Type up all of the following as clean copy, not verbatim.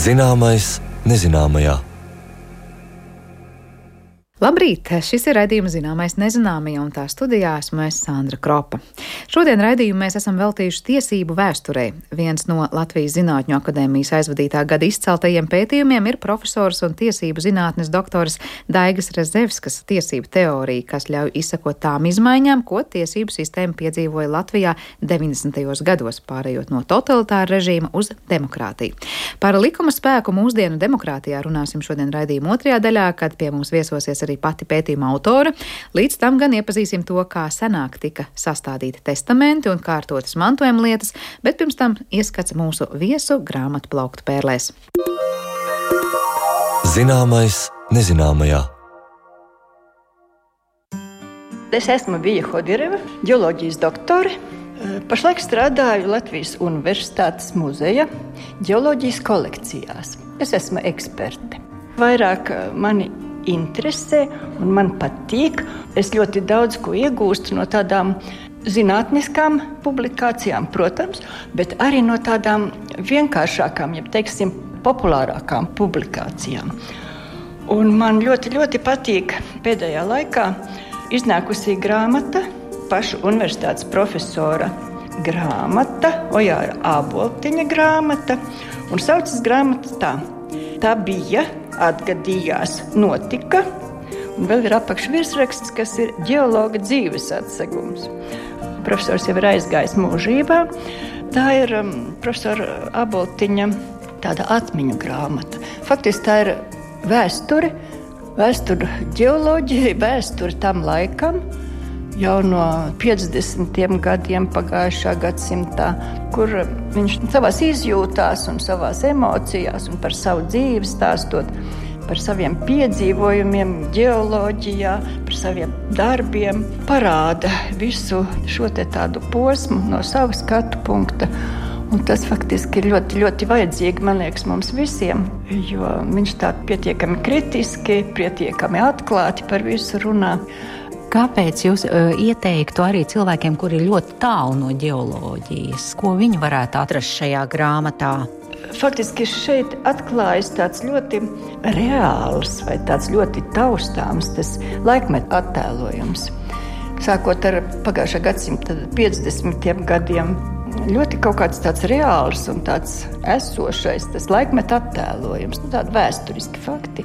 Zināmais nezināmajā. Labrīt! Šis ir raidījums Zināmais nezināmajā, un tā studijā esmu es, Sandra Kropa. Šodien raidījumu mēs esam veltījuši tiesību vēsturei. Viens no Latvijas Zinātņu akadēmijas aizvadītā gada izceltajiem pētījumiem ir profesors un tiesību zinātnes doktors Daigas Rezevskas tiesību teorija, kas ļauj izsekot tām izmaiņām, ko tiesību sistēma piedzīvoja Latvijā 90. gados, pārējot no totalitāra režīma uz demokrātiju. Par likuma spēku mūsdienu demokrātijā runāsim šodien raidījuma otrajā daļā, kad pie mums viesosies arī pati pētījuma autora. Līdz tam gan iepazīsim to, kā senāk tika sastādīti testamenti un kārtotas mantojuma lietas, bet pirms tam ieskats mūsu viesu grāmatu plauktu pērlēs. Zināmais nezināmajā. Es esmu Vija Hodireva, ģeoloģijas doktore. Pašlaik strādāju Latvijas Universitātes muzeja ģeoloģijas kolekcijās. Es esmu eksperte. Vairāk mani interesē un man patīk. Es ļoti daudz ko iegūstu no tādām zinātniskām publikācijām, protams, bet arī no tādām vienkāršākām, ja teiksim, populārākām publikācijām. Un man ļoti, ļoti patīk pēdējā laikā iznākusī grāmata, pašu universitātes profesora grāmata, Ojāra Āboltiņa grāmata, un saucas grāmata tā. Tā bija, atgadījās, notika, un vēl ir apakšvirsraksts, kas ir ģeologa dzīves atsegums. Profesors jau ir aizgājis mūžībā. Tā ir profesora Āboltiņa tāda atmiņu grāmata. Faktiski tā ir vēsture ģeoloģijai, vēsture tam laikam, jau no 50. gadiem pagājušā gadsimtā, kur viņš savās izjūtās un savās emocijās un par savu dzīvi stāstot, par saviem piedzīvojumiem ģeoloģijā, par saviem darbiem, parāda visu šo te tādu posmu no sava skatu punkta. Un tas faktiski ir ļoti, ļoti vajadzīgi, man liekas, mums visiem, jo viņš tā pietiekami kritiski, pietiekami atklāti par visu runā. Kāpēc jūs ieteiktu arī cilvēkiem, kuri ir ļoti tālu no ģeoloģijas? Ko viņi varētu atrast šajā grāmatā? Faktiski šeit atklājas tāds ļoti reāls vai tāds ļoti taustāms tas laikmeta attēlojums. Sākot ar pagājušā gadsimta 50. gadiem, ļoti kaut kāds tāds reāls un tāds esošais tas laikmeta attēlojums, tādi vēsturiski fakti.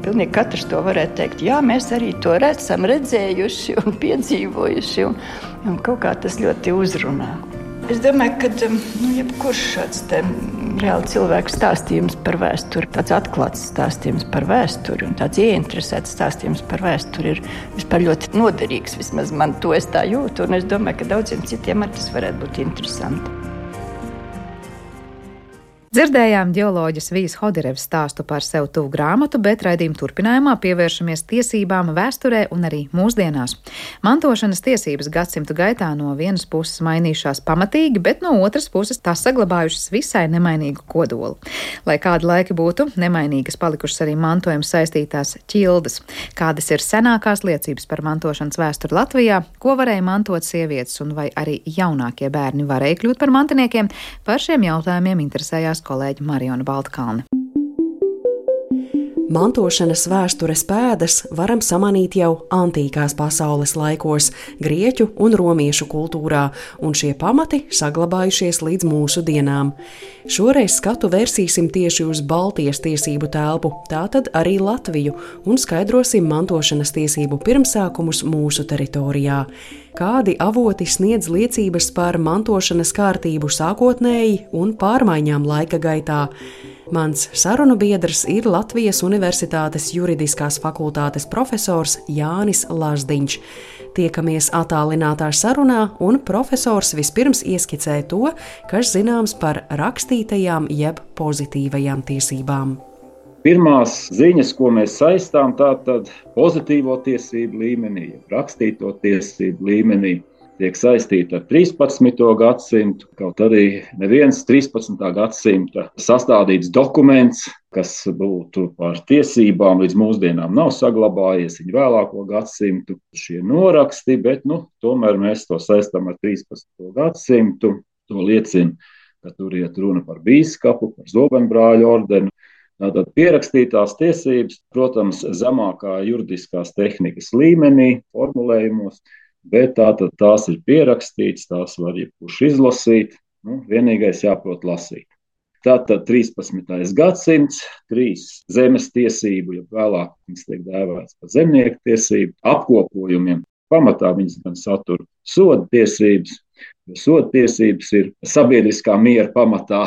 Pilnīgi katrs to varētu teikt, jā, mēs arī to esam redzējuši un piedzīvojuši, un kaut kā tas ļoti uzrunā. Es domāju, ka jebkurš šāds reāli cilvēku stāstījums par vēsturi, tāds atklāts stāstījums par vēsturi un tāds ieinteresēts stāstījums par vēsturi ir vispār ļoti noderīgs. Vismaz man to es tā jūtu, un es domāju, ka daudziem citiem arī tas varētu būt interesanti. Dzirdējām ģeoloģes Vijas Hodirevas stāstu par sev tuvu grāmatu, bet raidījuma turpinājumā pievēršamies tiesībām vēsturē un arī mūsdienās. Mantošanas tiesības gadsimtu gaitā no vienas puses mainījušās pamatīgi, bet no otras puses tās saglabājušas visai nemainīgu kodolu. Lai kādi laiki būtu, nemainīgas palikušas arī mantojuma saistītās ķildes. Kādas ir senākās liecības par mantošanas vēsturi Latvijā, ko varēja mantot sievietes un vai arī jaunākie bērni varēja kļūt par mantiniekiem, par šiem jautājumiem interesējās kolēģi Mariona Baltkalne. Mantošanas vēstures pēdas varam samanīt jau antīkās pasaules laikos, grieķu un romiešu kultūrā, un šie pamati saglabājušies līdz mūsu dienām. Šoreiz skatu vērsīsim tieši uz Baltijas tiesību telpu, tātad arī Latviju, un skaidrosim mantošanas tiesību pirmsākumus mūsu teritorijā. Kādi avoti sniedz liecības par mantošanas kārtību sākotnēji un pārmaiņām laika gaitā? Mans sarunu biedrs ir Latvijas Universitātes juridiskās fakultātes profesors Jānis Lazdiņš. Tiekamies attālinātā sarunā, un profesors vispirms ieskicē to, kas zināms par rakstītajām jeb pozitīvajām tiesībām. Pirmās ziņas, ko mēs saistām, tātad pozitīvo tiesību līmenī, rakstīto tiesību līmenī, tiek saistīta ar 13. gadsimtu, kaut arī neviens 13. gadsimta sastādīts dokuments, kas būtu par tiesībām līdz mūsdienām nav saglabājies, viņa vēlāko gadsimtu šie noraksti, bet tomēr mēs to saistām ar 13. gadsimtu. To liecina ka tur iet runa par bīskapu, par zobenbrāļu ordeni. Tātad pierakstītās tiesības, protams, zemākā juridiskās tehnikas līmenī, formulējumos, bet tātad tās ir pierakstītas, tās var jebkurš izlasīt, vienīgais jāprot lasīt. Tātad 13. gadsimts, 3 zemes tiesību, ja vēlāk viņas tiek dēvētas par zemnieku tiesību, apkopojumiem. Pamatā viņas gan satur soda tiesības, jo soda tiesības ir sabiedriskā miera pamatā.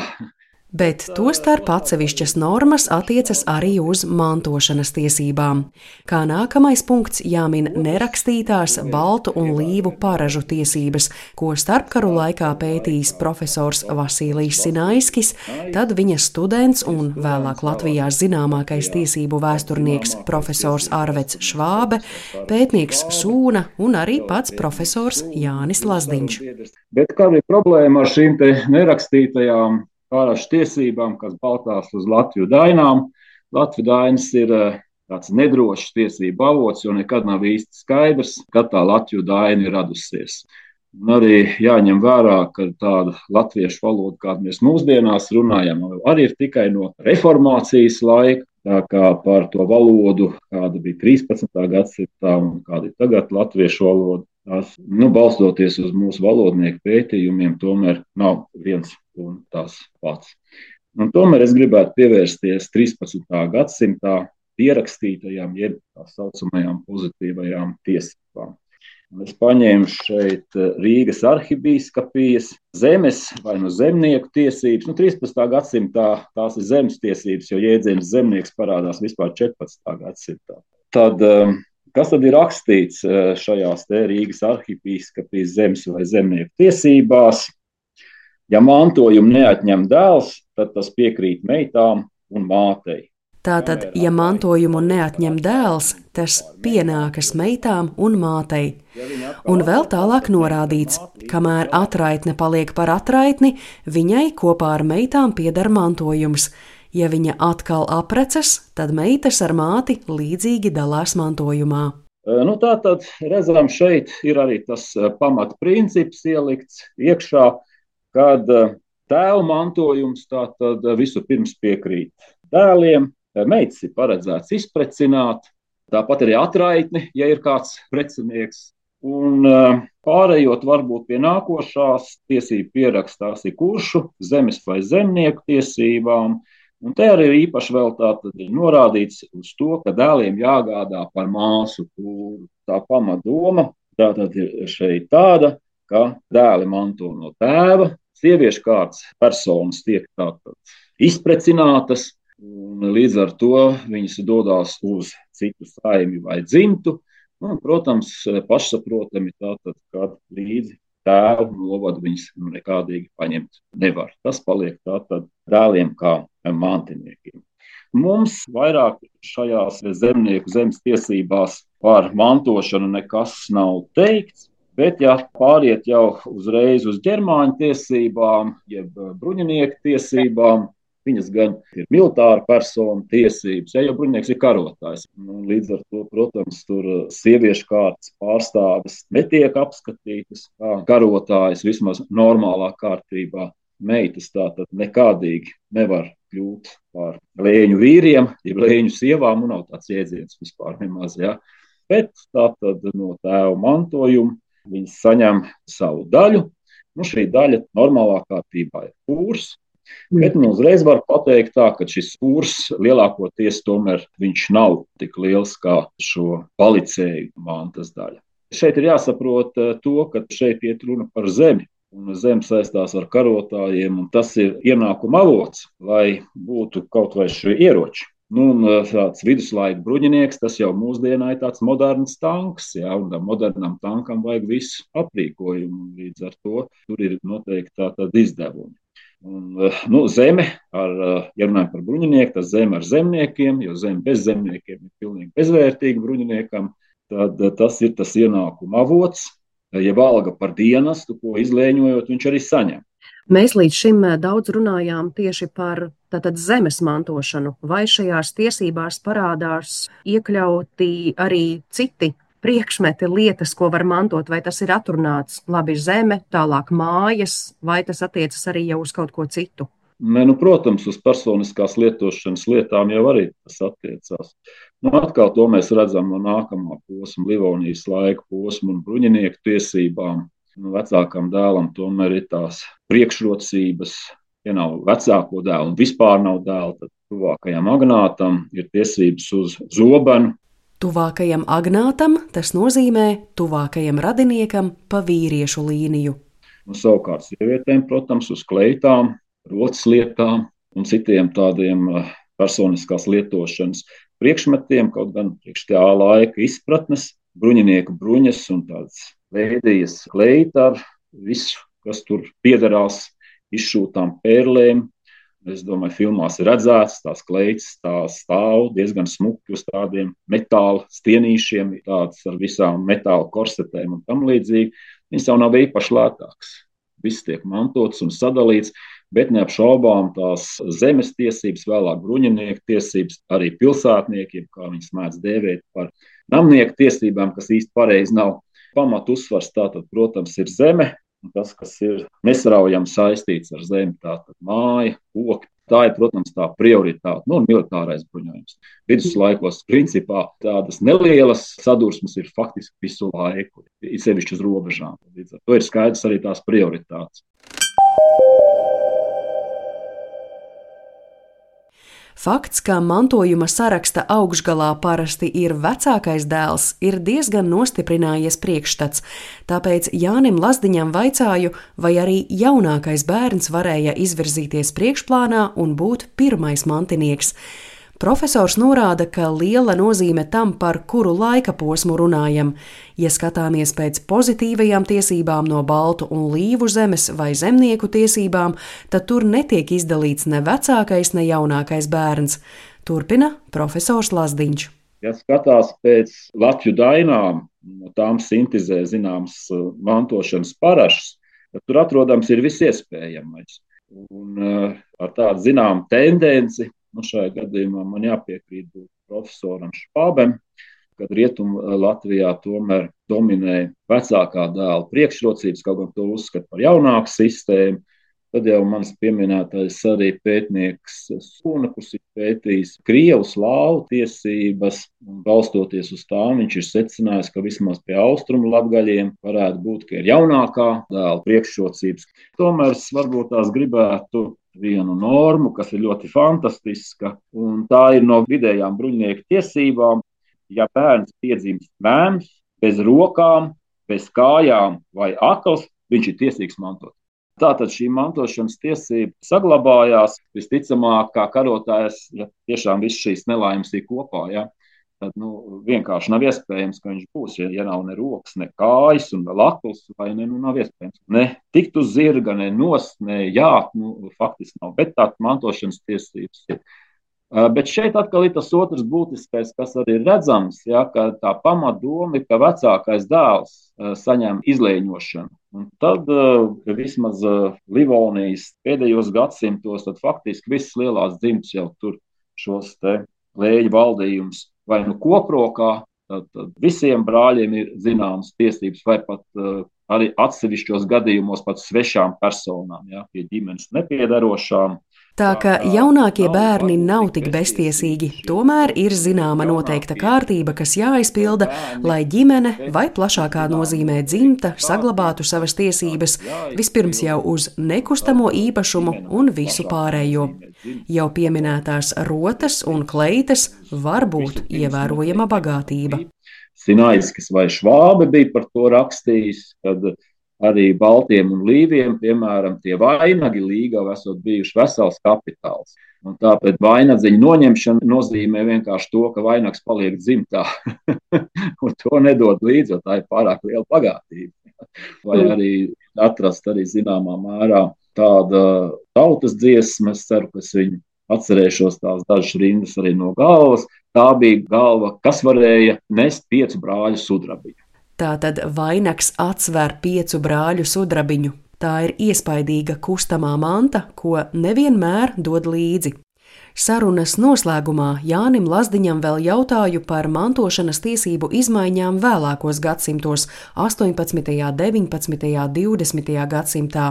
Bet tostarp atsevišķas normas attiecas arī uz mantošanas tiesībām. Kā nākamais punkts jāmin nerakstītās baltu un līvu paražu tiesības, ko starpkaru laikā pētījis profesors Vasilijs Sinaiskis, tad viņa students un vēlāk Latvijā zināmākais tiesību vēsturnieks profesors Arveds Švābe, pētnieks Sūna un arī pats profesors Jānis Lazdiņš. Bet kāda ir problēma ar šīm te nerakstītajām pārāšu tiesībām, kas balstās uz Latviju dainām? Latviju dainas ir tāds nedrošs tiesību avots, jo nekad nav īsti skaidrs, kad tā Latviju daina ir radusies. Un arī jāņem vērā, ka tāda latviešu valoda, kādu mēs mūsdienās runājam, arī ir tikai no reformācijas laika. Tā kā par to valodu, kāda bija 13. gadsimtā un kāda ir tagad latviešu valoda, tās, balstoties uz mūsu valodnieku pētījumiem, tomēr nav viens un tas pats. Un tomēr es gribētu pievērsties 13. gadsimtā pierakstītajām, jeb tā saucamajām pozitīvajām tiesībām. Un es paņēmu šeit Rīgas arhibīskapijas zemes vai zemnieku tiesības. 13. gadsimtā tās ir zemes tiesības, jo jēdziens zemnieks parādās vispār 14. gadsimtā. Tad kas tad ir rakstīts šajās te Rīgas arhibīskapijas zemes vai zemnieku tiesībās? Ja mantojumu neatņem dēls, tad tas piekrīt meitām un mātei. Tātad, ja mantojumu neatņem dēls, tas pienākas meitām un mātei. Un vēl tālāk norādīts, kamēr atraitne paliek par atraitni, viņai kopā ar meitām pieder mantojums. Ja viņa atkal aprecas, tad meitas ar māti līdzīgi dalās mantojumā. Tātad, redzam, šeit ir arī tas pamatprincips ielikts iekšā, kad tēva mantojums tātad vispirms piekrīt dēliem, meitas ir paredzēts izprecināt, tāpat arī atraitni, ja ir kāds precinieks. Un pārējot varbūt pie nākošās tiesību pierakstās ir kuršu, zemes vai zemnieku tiesībām. Un te arī īpaši vēl tātad ir norādīts uz to, ka dēliem jāgādā par māsu kūru. Tā pamatdoma tātad ir šeit tāda, ka dēli manto no tēva, sieviešu kārtas personas tiek tātad izprecinātas, un līdz ar to viņas dodās uz citu saimi vai dzimtu. Un, protams, pašsaprotami tātad, kad līdzi tēvu novadu viņas nekādīgi paņemt nevar. Tas paliek tātad dēliem kā mantiniekiem. Mums vairāk šajās zemnieku zemes tiesībās par mantošanu nekas nav teikts. Bet, ja pāriet jau uzreiz uz ģermāņu tiesībām, jeb bruņinieku tiesībām, viņas gan ir militāra persona tiesības, jo bruņinieks ir karotājs. Līdz ar to, protams, tur sieviešu kārtas pārstāves netiek apskatītas kā karotājas vismaz normālā kārtībā. Meitas tātad nekādīgi nevar kļūt par lēņu vīriem, jeb lēņu sievām, un nav tāds jēdziens vispār nemaz, ja. Bet tātad no tēva mantojuma viņas saņem savu daļu. Šī daļa normālā kārtībā ir pūrs. Bet uzreiz var pateikt tā, ka šis pūrs lielākoties tomēr viņš nav tik liels kā šo palicēju mantas daļa. Šeit ir jāsaprot to, ka šeit iet runa par zemi. Un zeme saistās ar karotājiem, un tas ir ienākuma avots, lai būtu kaut vai šie ieroči. Tāds viduslaika bruņinieks, tas jau mūsdienā ir tāds moderns tanks, jā, un modernam tankam vajag visu aprīkojumu, līdz ar to tur ir noteikti tātad izdevumi. Zeme, ja runājam par bruņinieku, tas zeme ar zemniekiem, jo zeme bez zemniekiem ir pilnīgi bezvērtīga bruņiniekam, tad tas ir tas ienākuma avots, ja alga par dienestu, ko izlēņojot, viņš arī saņem. Mēs līdz šim daudz runājām tieši par tātad zemes mantošanu. Vai šajās tiesībās parādās iekļauti arī citi priekšmeti, lietas, ko var mantot, vai tas ir atrunāts labi zeme, tālāk mājas, vai tas attiecas arī jau uz kaut ko citu? Protams, uz personiskās lietošanas lietām jau arī tas attiecās. Atkal to mēs redzam no nākamā posma, Livonijas laika posma un bruņinieku tiesībām. Vecākam dēlam tomēr ir tās priekšrocības, ja nav vecāko dēlu un vispār nav dēla, tad tuvākajam agnātam ir tiesības uz zobenu. Tuvākajam agnātam tas nozīmē tuvākajam radiniekam pa vīriešu līniju. Savukārt sievietēm, protams, uz kleitām, rotas lietām un citiem tādiem personiskās lietošanas priekšmetiem, kaut gan priekš tā laika izpratnes, bruņinieku bruņas un tādas veidijas kleita ar visu, kas tur piederās izšūtām pērlēm. Es domāju, filmās ir redzēts, tās kleitas tās stāv diezgan smuki uz tādiem metāla stienīšiem, tādas ar visām metāla korsetēm un tam līdzīgi. Viņas jau nav īpaši lētākas. Viss tiek mantots un sadalīts, bet neapšaubām tās zemes tiesības, vēlāk bruņinieku tiesības, arī pilsētniekiem, kā viņas mēdz dēvēt par namnieku tiesībām, kas īsti pareizi nav. Pamat uzsvars tātad, protams, ir zeme, un tas, kas ir nesaraujami saistīts ar zemi, tātad māja, koki. Tā ir, protams, tā prioritāte, militārais bruņojums. Viduslaikos, principā, tādas nelielas sadursmes ir faktiski visu laiku, ir sevišķi uz robežām. Līdz ar to ir skaidrs arī tās prioritātes. Fakts, ka mantojuma saraksta augšgalā parasti ir vecākais dēls, ir diezgan nostiprinājies priekšstats, tāpēc Jānim Lazdiņam vaicāju, vai arī jaunākais bērns varēja izvirzīties priekšplānā un būt pirmais mantinieks. Profesors norāda, ka liela nozīme tam, par kuru laika posmu runājam. Ja skatāmies pēc pozitīvajām tiesībām no baltu un līvu zemes vai zemnieku tiesībām, tad tur netiek izdalīts ne vecākais, ne jaunākais bērns. Turpina profesors Lazdiņš. Ja skatās pēc Latviju dainām, no tām sintizē zināms mantošanas parašas, tad tur atrodams ir visiespējamais. Un ar tādu zinām tendenci, šajā gadījumā man jāpiekrīt profesoram Špābem, kad Rietumu Latvijā tomēr dominē vecākā dēla priekšrocības, kaut gan to uzskata par jaunāku sistēmu. Tad jau mans pieminētais arī pētnieks Sūna, kurš ir pētījis krievu slāvu tiesības, un balstoties uz tām viņš ir secinājis, ka vismaz pie austrumu latgaļiem varētu būt, ka ir jaunākā dēla priekšrocības. Tomēr es varbūt tās gribētu vienu normu, kas ir ļoti fantastiska, un tā ir no vidējām bruņinieku tiesībām. Ja bērns piedzimst mēms, bez rokām, bez kājām vai akls, viņš ir tiesīgs mantot. Tātad šī mantošanas tiesība saglabājās, visticamāk, kā karotājs, ja tiešām viss šīs nelaimes ir kopā, ja, tad vienkārši nav iespējams, ka viņš būs, ja nav ne rokas, ne kājas un vēl akls, vai nav iespējams. Ne tikt uz zirga, ne nost, ne jāt, faktiski nav, bet tā mantošanas tiesības ir. Bet šeit atkal ir tas otrs būtiskais, kas arī ir redzams, ja, ka tā pamatdoma ir, ka vecākais dēls saņem izlēņošanu. Un tad vismaz Livonijas pēdējos gadsimtos, tad faktiski visas lielās dzimtas jau tur šos te lēņu valdījumus vai koprokā, tad visiem brāļiem ir zināmas tiesības vai pat arī atsevišķos gadījumos pat svešām personām, ja, pie ģimenes nepiedarošām. Tā ka jaunākie bērni nav tik beztiesīgi, tomēr ir zināma noteikta kārtība, kas jāizpilda, lai ģimene vai plašākā nozīmē dzimta saglabātu savas tiesības, vispirms jau uz nekustamo īpašumu un visu pārējo. Jau pieminētās rotas un kleitas var būt ievērojama bagātība. Sinaiskis vai Švābe bija par to rakstījis, kad arī baltiem un līviem, piemēram, tie vainagi līgava esot bijuši vesels kapitāls. Un tāpēc vainagdziņa noņemšana nozīmē vienkārši to, ka vainags paliek dzimtā. Un to nedod līdzi, jo tā ir pārāk liela bagātība. Vai arī atrast arī zināmā mērā tāda tautas dziesma, es ceru, ka es viņu atcerēšos tās dažas rindas arī no galvas. Tā bija galva, kas varēja nest 5 brāļu sudrabiņu. Tātad vainags atsver 5 brāļu sudrabiņu. Tā ir iespaidīga kustamā manta, ko nevienmēr dod līdzi. Sarunas noslēgumā Jānim Lazdiņam vēl jautāju par mantošanas tiesību izmaiņām vēlākos gadsimtos – 18., 19., 20. gadsimtā.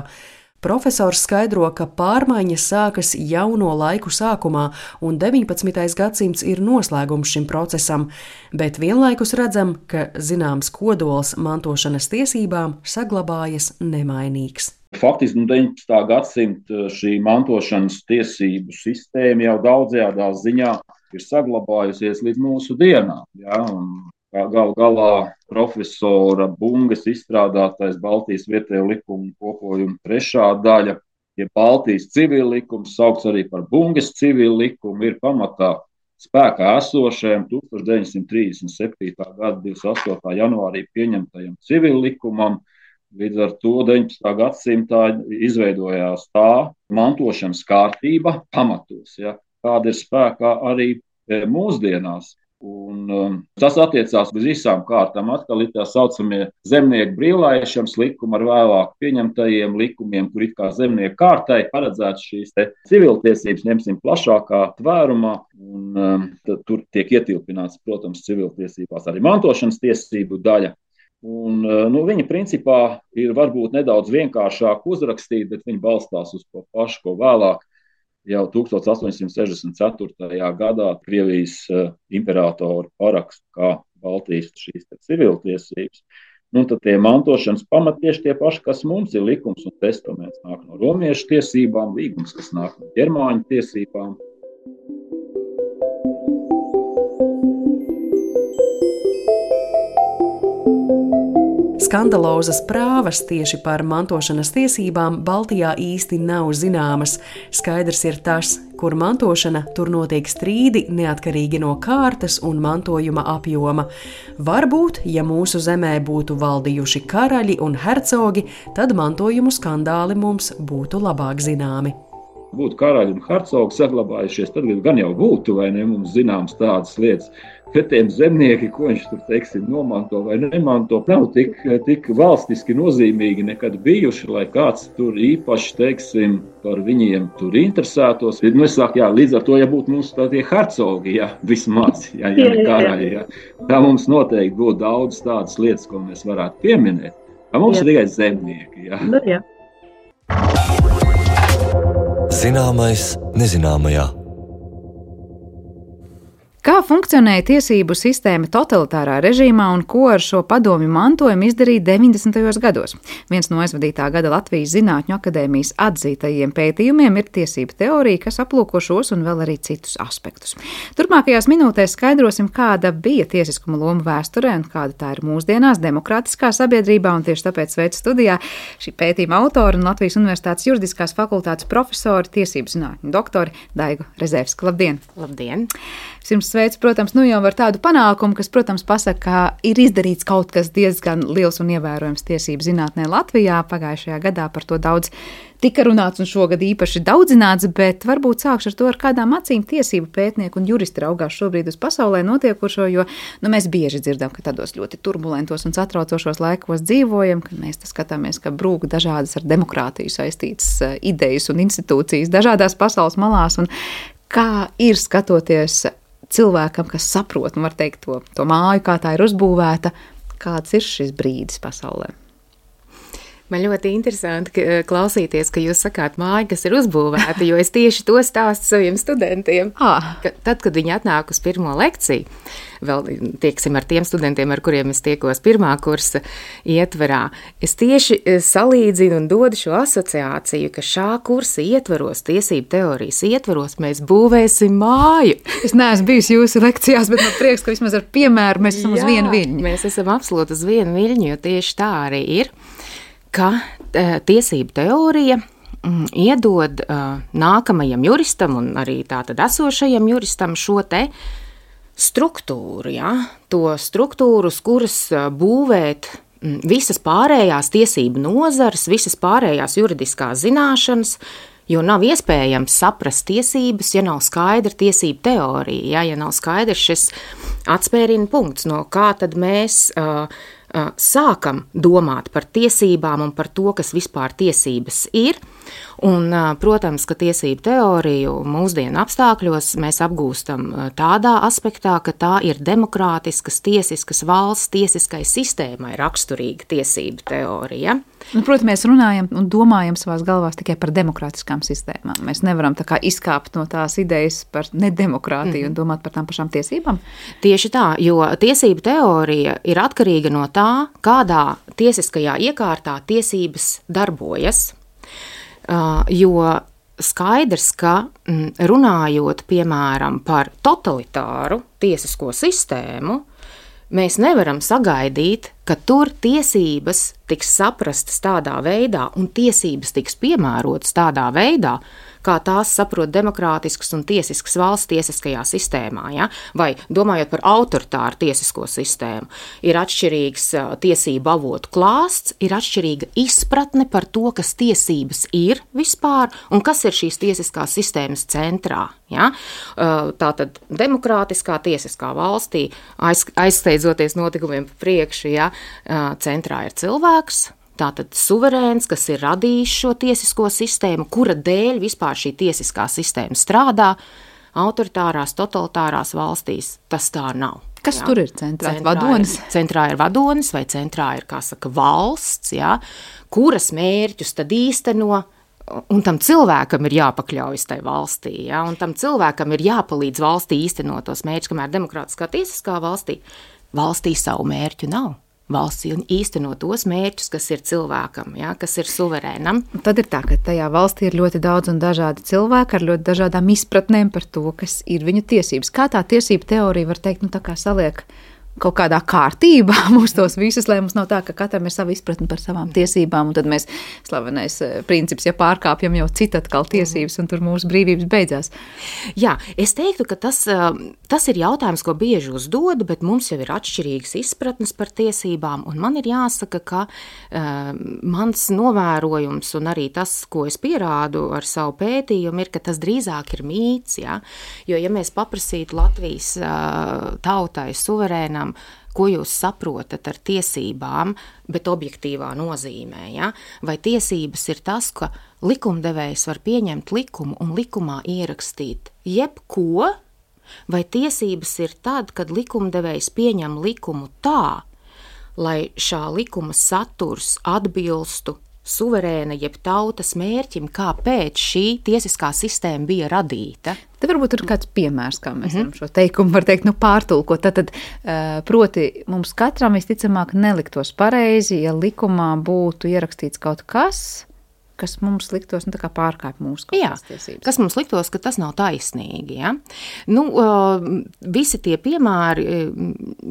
Profesors skaidro, ka pārmaiņas sākas jauno laiku sākumā, un 19. gadsimts ir noslēgums šim procesam, bet vienlaikus redzam, ka zināms kodols mantošanas tiesībām saglabājas nemainīgs. Faktiski 19. gadsimta šī mantošanas tiesību sistēma jau daudzajā ziņā ir saglabājusies līdz mūsu dienām. Ja? Galu galā profesora Bungas izstrādātais Baltijas vietējo likumu kopojuma 3. daļa, ja Baltijas civil likums, saukts arī par Bungas civil likumu, ir pamatā spēkā esošajam 1937. gada 28. janvārī pieņemtajam civil likumam. Līdz ar to 19. gadsimtā izveidojās tā mantošanas kārtība pamatos, ja, kāda ir spēkā arī mūsdienās. Un tas attiecās uz visām kārtām. Atkal ir tā saucamie zemnieku brīvlaišanas likumi ar vēlāk pieņemtajiem likumiem, kur it kā zemnieku kārtai paredzēts šīs civiltiesības, ņemsim plašākā tvērumā. Un tur tiek ietilpināts, protams, civiltiesībās arī mantošanas tiesību daļa. Un, viņa principā ir varbūt nedaudz vienkāršāk uzrakstīt, bet viņa balstās uz to pašu, ko vēlāk jau 1864. gadā Krievijas imperatoru parakstu kā Baltijas šīs civiltiesības. Tad tie mantošanas pamati tieši tie paši, kas mums ir likums un testaments, nāk no romiešu tiesībām, līgums, kas nāk no ģermāņu tiesībām. Skandalozas prāvas tieši par mantošanas tiesībām Baltijā īsti nav zināmas. Skaidrs ir tas, kur mantošana, tur notiek strīdi neatkarīgi no kārtas un mantojuma apjoma. Varbūt, ja mūsu zemē būtu valdījuši karaļi un hercogi, tad mantojumu skandāli mums būtu labāk zināmi. Būtu karaļi un hercogi saglabājušies, tad gan jau būtu, vai ne, mums zināms tādas lietas. Bet tiem zemnieki, ko viņš tur, teiksim, nomanto vai nemanto, nav tik valstiski nozīmīgi nekad bijuši, lai kāds tur īpaši, teiksim, par viņiem tur interesētos. Es saku, līdz ar to, ja būtu mums tie hercogi, vismaz, ja ne karaļi, tā mums noteikti būtu daudz tādas lietas, ko mēs varētu pieminēt. Mums ir tikai zemnieki, jā. Zināmais nezināmajā. Kā funkcionēja tiesību sistēma totalitārā režīmā un ko ar šo padomju mantojumu izdarīja 90. gados? Viens no aizvadītā gada Latvijas Zinātņu akadēmijas atzītajiem pētījumiem ir tiesība teorija, kas aplūko šos un vēl arī citus aspektus. Turpmākajās minūtēs skaidrosim, kāda bija tiesiskuma loma vēsturē un kāda tā ir mūsdienās demokrātiskā sabiedrībā, un tieši tāpēc sveicu studijā šī pētījuma autori un Latvijas Universitātes juridiskās fakultātes profesori, tiesību zinātņu doktori Daigu Rezēvsku. Labdien! Labdien! Jums sveicu, protams, jau ar tādu panākumu, kas, protams, pasaka, ka ir izdarīts kaut kas diezgan liels un ievērojams tiesību zinātnē Latvijā. Pagājušajā gadā par to daudz tika runāts un šogad īpaši daudzināts, bet varbūt sākšu ar to, ar kādām acīm tiesību pētnieki un juristi raugās šobrīd uz pasaulē notiekošo, jo mēs bieži dzirdam, ka tādos ļoti turbulentos un satraucošos laikos dzīvojam, kad mēs skatāmies, ka brūk dažādas ar demokrātiju saistītas idejas un institūcijas dažādās pasaules malās, un kā ir skatoties cilvēkam, kas saprot, var teikt, to māju, kā tā ir uzbūvēta, kāds ir šis brīdis pasaulē? Man ļoti interesanti klausīties, ka jūs sakāt māju, kas ir uzbūvēta, jo es tieši to stāstu saviem studentiem. Tad, kad viņi atnāk uz pirmo lekciju, vēl tieksim ar tiem studentiem, ar kuriem es tiekos pirmā kursa ietverā, es tieši salīdzinu un dodu šo asociāciju, ka šā kursa ietveros, tiesību teorijas ietveros, mēs būvēsim māju. Es neesmu bijusi jūsu lekcijās, bet man prieks, ka vismaz ar piemēru mēs esam uz vienu viļņu. Mēs esam absolūti uz vienu viļņu, jo tieši tā arī ir, ka tiesību teorija iedod nākamajam juristam un arī tātad esošajam juristam šo te struktūru, to struktūru, uz kuras būvēt visas pārējās tiesību nozares, visas pārējās juridiskās zināšanas, jo nav iespējams saprast tiesības, ja nav skaidra tiesību teorija, ja nav skaidrs šis atspērienu punkts, no kā tad mēs sākam domāt par tiesībām un par to, kas vispār tiesības ir, Un, protams, ka tiesību teoriju mūsdienu apstākļos mēs apgūstam tādā aspektā, ka tā ir demokrātiskas, tiesiskas valsts, tiesiskai sistēmai raksturīga tiesību teorija. Protams, mēs runājam un domājam savās galvās tikai par demokrātiskām sistēmām. Mēs nevaram tā kā izkāpt no tās idejas par nedemokrātiju un domāt par tām pašām tiesībām. Tieši tā, jo tiesību teorija ir atkarīga no tā, kādā tiesiskajā iekārtā tiesības darbojas. Jo skaidrs, ka runājot, piemēram, par totalitāru tiesisko sistēmu, mēs nevaram sagaidīt, ka tur tiesības tiks saprastas tādā veidā un tiesības tiks piemērotas tādā veidā, kā tās saprot demokrātiskas un tiesiskas valsts tiesiskajā sistēmā. Ja? Vai domājot par autoritāru tiesisko sistēmu, ir atšķirīgs tiesību avotu klāsts, ir atšķirīga izpratne par to, kas tiesības ir vispār un kas ir šīs tiesiskās sistēmas centrā. Ja? Tātad demokrātiskā tiesiskā valstī, aizsteidzoties notikumiem pa priekšu, ja, centrā ir cilvēks, tātad suverēns, kas ir radījis šo tiesisko sistēmu, kura dēļ vispār šī tiesiskā sistēma strādā. Autoritārās, totalitārās valstīs tas tā nav. Kas tur ir centrā? Vadonis? Centrā ir vadonis vai centrā ir, kā saka, valsts, ja, kuras mērķus tad īsteno, un tam cilvēkam ir jāpakļaujas tai valstī, ja, un tam cilvēkam ir jāpalīdz valstī īstenot tos mērķus, kamēr demokrātiskā tiesiskā valstī savu mērķu nav. Valsts īsteno tos mērķus, kas ir cilvēkam, ja, kas ir suverēnam. Tad ir tā, ka tajā valstī ir ļoti daudz un dažādi cilvēki ar ļoti dažādām izpratnēm par to, kas ir viņu tiesības. Kā tā tiesība teorija var teikt, tā kā saliek kaut kādā kārtībā mūs tos visus, lai mums nav tā, ka katram ir sava izpratne par savām tiesībām, un tad mēs slavenais princips, ja pārkāpjam jau citu atkal tiesības, un tur mūsu brīvības beidzās. Jā, es teiktu, ka tas ir jautājums, ko bieži uzdodu, bet mums jau ir atšķirīgas izpratnes par tiesībām, un man ir jāsaka, ka mans novērojums un arī tas, ko es pierādu ar savu pētījumu, ir, ka tas drīzāk ir mīts, ja? Jo, ja mēs paprasītu Latvijas tautai suverēnam, ko jūs saprotat ar tiesībām, bet objektīvā nozīmē, ja? Vai tiesības ir tas, ka likumdevējs var pieņemt likumu un likumā ierakstīt jebko, vai tiesības ir tad, kad likumdevējs pieņem likumu tā, lai šā likuma saturs atbilstu suverēna jeb tautas mērķim, kāpēc šī tiesiskā sistēma bija radīta. Te varbūt ir kāds piemērs, kā mēs šo teikumu var teikt, pārtulkot. Tad, proti, mums katram visticamāk neliktos pareizi, ja likumā būtu ierakstīts kaut kas mums liktos tā kā pārkāp mūsu tiesības. Kas mums liktos, ka tas nav taisnīgi. Ja? Visi tie piemēri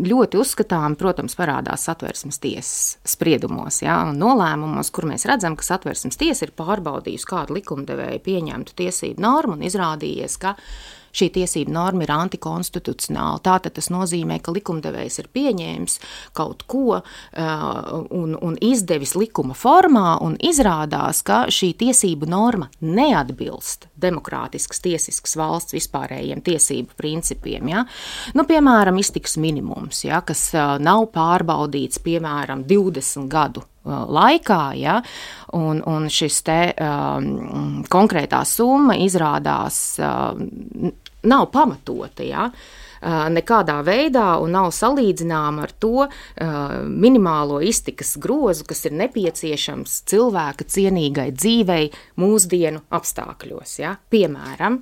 ļoti uzskatām, protams, parādās Satversmes tiesas spriedumos, ja? Un nolēmumos, kur mēs redzam, ka Satversmes tiesa ir pārbaudījusi kādu likumdevēju pieņemtu tiesību normu un izrādījies, ka šī tiesība norma ir antikonstitucionāla. Tātad tas nozīmē, ka likumdevējs ir pieņēmis kaut ko un izdevis likuma formā un izrādās, ka šī tiesību norma neatbilst demokrātiskas tiesiskas valsts vispārējiem tiesību principiem. Ja? Piemēram, iztikas minimums, ja, kas nav pārbaudīts, piemēram, 20 gadu laikā, ja, un šis te konkrētā summa izrādās nav pamatota, ja, nekādā veidā un nav salīdzināma ar to minimālo iztikas grozu, kas ir nepieciešams cilvēka cienīgai dzīvei mūsdienu apstākļos, ja, piemēram.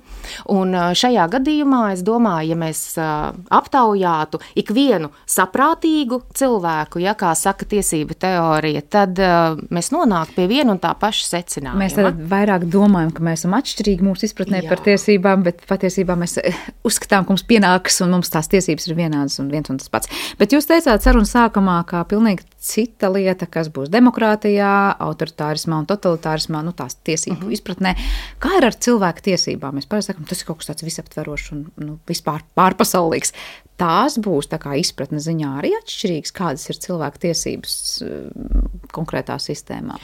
Un šajā gadījumā, es domāju, ja mēs aptaujātu ikvienu saprātīgu cilvēku, ja, kā saka tiesība teorija, tad mēs nonāktu pie viena un tā paša secinājuma. Mēs tad vairāk domājam, ka mēs esam atšķirīgi mūsu izpratnē par tiesībām, bet patiesībā mēs uzskatām, ka mums pienāks un mums tās tiesības ir vienādas un viens un tas pats. Bet jūs teicāt sarunas sākumā, kā pilnīgi cita lieta, kas būs demokrātijā, autoritārismā un totalitārismā, tās tiesību izpratnē. Kā ir ar cilvēku tiesībām? Mēs parasti sakam, tas ir kaut kas tāds visaptverošs un vispār pārpasaulīgs. Tās būs tā kā izpratne ziņā arī atšķirīgas, kādas ir cilvēku tiesības konkrētā sistēmā?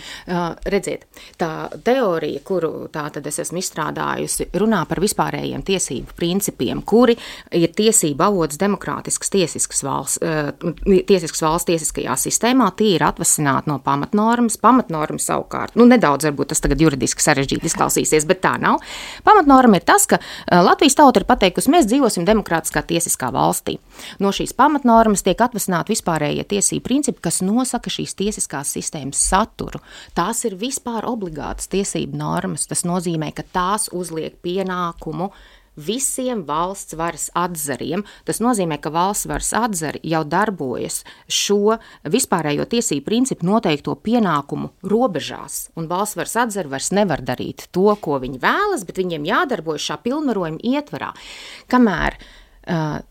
Redziet, tā teorija, kuru tātad es esmu izstrādājusi, runā par vispārējiem tiesību principiem, kuri ir tiesība avots demokrātiskas tiesiskas valsts tiesiskajā sistēmā. Tie ir atvasināti no pamatnormas. Pamatnorma savukārt, nedaudz varbūt tas tagad juridiski sarežģīti izklausīsies, bet tā nav. Pamatnorma ir tas, ka Latvijas tauta ir pateikusi, mēs dzīvosim demokrātiskā tiesiskā valstī. No šīs pamatnormas tiek atvasināti vispārējie tiesību principi, kas nosaka šīs tiesiskās sistēmas saturu. Tās ir vispār obligātas tiesību normas. Tas nozīmē, ka tās uzliek pienākumu visiem valsts varas atzariem. Tas nozīmē, ka valsts varas atzari jau darbojas šo vispārējo tiesību principu noteikto pienākumu robežās. Un valsts varas atzari vairs nevar darīt to, ko viņi vēlas, bet viņiem jādarbojas šā pilnvarojuma ietvarā. Kamēr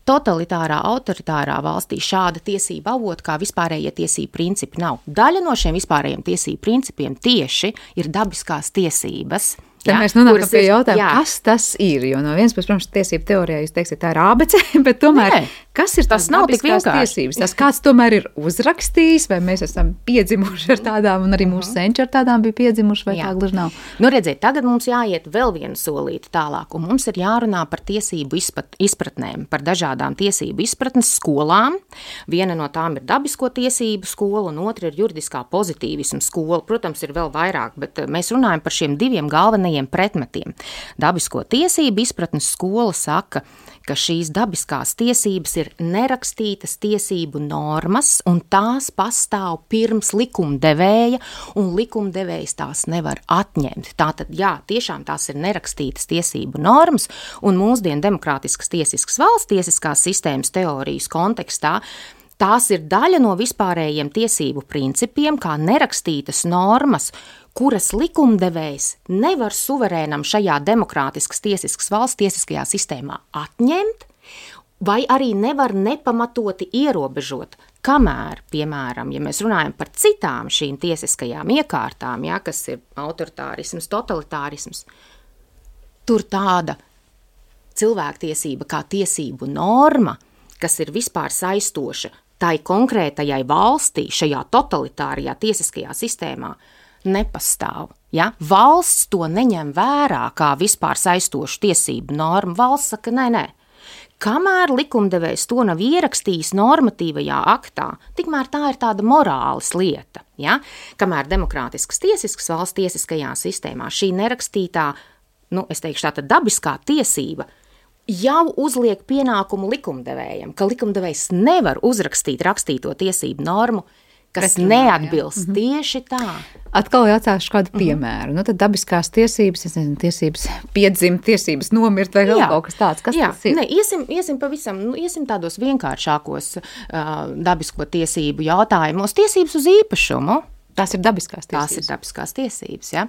totalitārā, autoritārā valstī šāda tiesība avota kā vispārējie tiesību principi nav. Daļa no šiem vispārējiem tiesību principiem tieši ir dabiskās tiesības. Te mēs nonākam pie jautājuma, kas tas ir, jo no vienas puses, protams, tiesību teorijā jūs teiksiet, tā ir ABC, bet tomēr, kas ir tās dabiskās tiesības? Tas kāds tomēr ir uzrakstījis, vai mēs esam piedzimuši ar tādām, un arī mūsu senči ar tādām bija piedzimuši, vai tā gluži nav? Redziet, tagad mums jāiet vēl vienu solīti tālāk, un mums ir jārunā par tiesību izpratnēm, par dažādām tiesību izpratnes skolām. Viena no tām ir dabisko tiesību skola, un otra ir juridiskā pozitīvisma skola. Protams, ir vēl vairāk, bet mēs runājam par šiem diviem galvenajiem pretmetiem. Dabisko tiesību izpratnes skola saka, ka šīs dabiskās tiesības ir nerakstītas tiesību normas, un tās pastāv pirms likumdevēja, un likumdevējs tās nevar atņemt. Tātad, jā, tiešām tās ir nerakstītas tiesību normas, un mūsdienu demokrātiskas tiesiskas valsts tiesiskās sistēmas teorijas kontekstā tās ir daļa no vispārējiem tiesību principiem, kā nerakstītas normas, kuras likumdevējs nevar suverēnam šajā demokrātiskas tiesiskas valsts tiesiskajā sistēmā atņemt, vai arī nevar nepamatoti ierobežot. Kamēr, piemēram, ja mēs runājam par citām šīm tiesiskajām iekārtām, ja, kas ir autoritārisms, totalitārisms, tur tāda cilvēktiesība kā tiesību norma, kas ir vispār saistoša tai konkrētajai valstī, šajā totalitārajā tiesiskajā sistēmā, nepastāv. Ja? Valsts to neņem vērā kā vispār saistošu tiesību normu. Valsts saka, nē. Kamēr likumdevējs to nav ierakstījis normatīvajā aktā, tikmēr tā ir tāda morāles lieta. Ja? Kamēr demokrātiskas tiesiskas valsts tiesiskajā sistēmā šī nerakstītā, es teikšu tāda dabiskā tiesība, jau uzliek pienākumu likumdevējam, ka likumdevējs nevar uzrakstīt rakstīto tiesību normu, kas neatbilst tieši tā. Atkal jāatsākšu kādu piemēru. Tad dabiskās tiesības, tiesības piedzimt, tiesības nomirt vai vēl kaut kas tāds. Kas tas ir? Iesim tādos vienkāršākos dabisko tiesību jautājumos. Tiesības uz īpašumu. Tās ir dabiskās tiesības. Tās ir dabiskās tiesības, ja.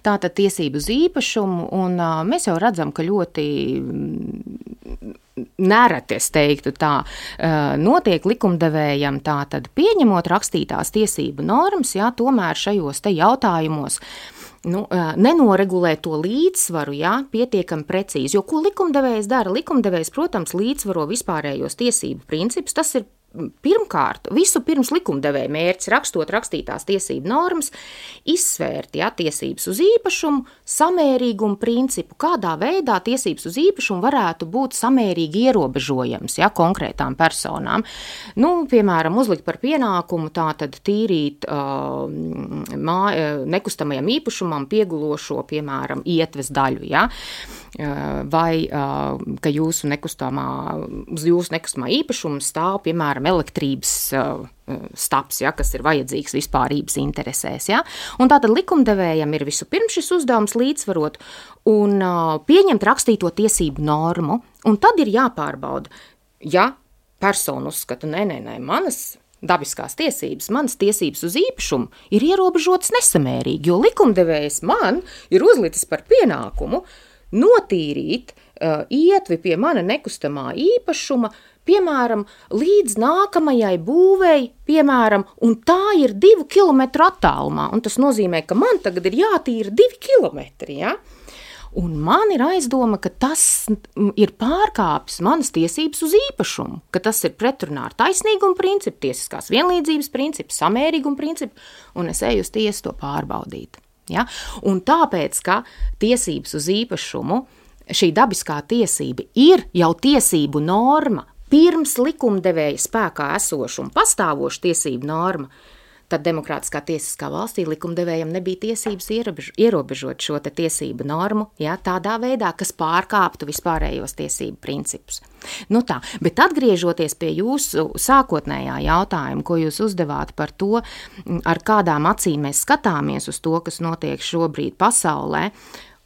Tātad tiesību uz īpašumu, un mēs jau redzam, ka ļoti nereti, es teiktu tā, notiek likumdevējam tātad pieņemot rakstītās tiesību normas, ja, tomēr šajos te jautājumos nenoregulē to līdzsvaru, ja, pietiekami precīzi. Jo ko likumdevējs dara? Likumdevējs, protams, līdzsvaro vispārējos tiesību principus. Tas ir pirmkārt, visu pirms likumdevēja mērķis rakstot rakstītās tiesību normas, izsvērt tiesības uz īpašumu, samērīgumu principu, kādā veidā tiesības uz īpašumu varētu būt samērīgi ierobežojams konkrētām personām. Piemēram, uzlikt par pienākumu tātad tīrīt nekustamajam īpašumam piegulošo, piemēram, ietves daļu, vai ka uz jūsu nekustamā īpašuma stāv, piemēram, elektrības staps, kas ir vajadzīgs vispārības interesēs. Un tātad likumdevējam ir vispirms šis uzdevums līdzsvarot un pieņemt rakstīto tiesību normu, un tad ir jāpārbauda, ja persona uzskata, nē, manas dabiskās tiesības, manas tiesības uz īpašumu ir ierobežotas nesamērīgi, jo likumdevējs man ir uzlicis par pienākumu notīrīt ietvi pie mana nekustamā īpašuma, piemēram, līdz nākamajai būvei, piemēram, un tā ir 2 kilometru attālumā, un tas nozīmē, ka man tagad ir jātīra 2 kilometri, ja? Un man ir aizdoma, ka tas ir pārkāpis manas tiesības uz īpašumu, ka tas ir pretrunā ar taisnīgumu principu, tiesiskās vienlīdzības principu, samērīgumu principu, un es eju uz tiesu to pārbaudīt. Ja? Un tāpēc, ka tiesības uz īpašumu, šī dabiskā tiesība ir jau tiesību norma, pirms likumdevēja spēkā esoša un pastāvoša tiesību norma, tad demokrātiskā tiesiskā valstī likumdevējam nebija tiesības ierobežot šo te tiesību normu, ja, tādā veidā, kas pārkāptu vispārējos tiesību principus. Nu tā, bet atgriežoties pie jūsu sākotnējā jautājuma, ko jūs uzdevāt par to, ar kādām acīm mēs skatāmies uz to, kas notiek šobrīd pasaulē,